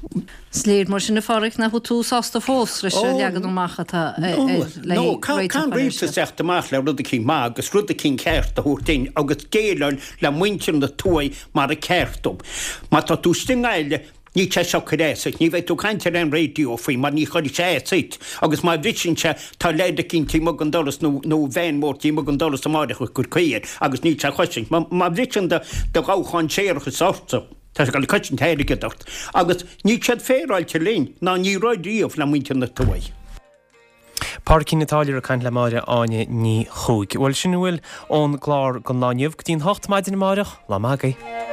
S16: Is léir mar sin a Pháraic nach bhfuil tú sásta fós leis an leagan amach atá le
S15: No, caithfidh an rialtas teacht amach le rud eicínt maith agus rud eicínt ceart a thabhairt dúinn agus déileáil le muintir na tuaithe mar a ceart dóibh. Má tá tú istigh i nGaillimh, níl sé seo ag cur as duit, ní bheidh tú ag caint ar aon raidió faoi mar ní chuirfidh sé as duit agus má bhriseann sé tá leaid eicínt taobh amuigh den doras nó nó veain mhór taobh amuigh den doras amáireach ag cur caoi air agus níl sé ag cosaint. Má bhriseann do dhabhchán séarachais ortsa. Tá sé ag dul ag cosaint airgead ort. Agus níl siad féaráilte linn, ná ní raibh riamh le muintir na tuaithe.
S1: Pádraicín Ó Táilliúra ag caint le Máire Áine Ní Chuaig. Bhuel, sin a bhfuil ón gclár don lá inniu. Go dtí an hocht maidin amáireach, lá maith agaibh.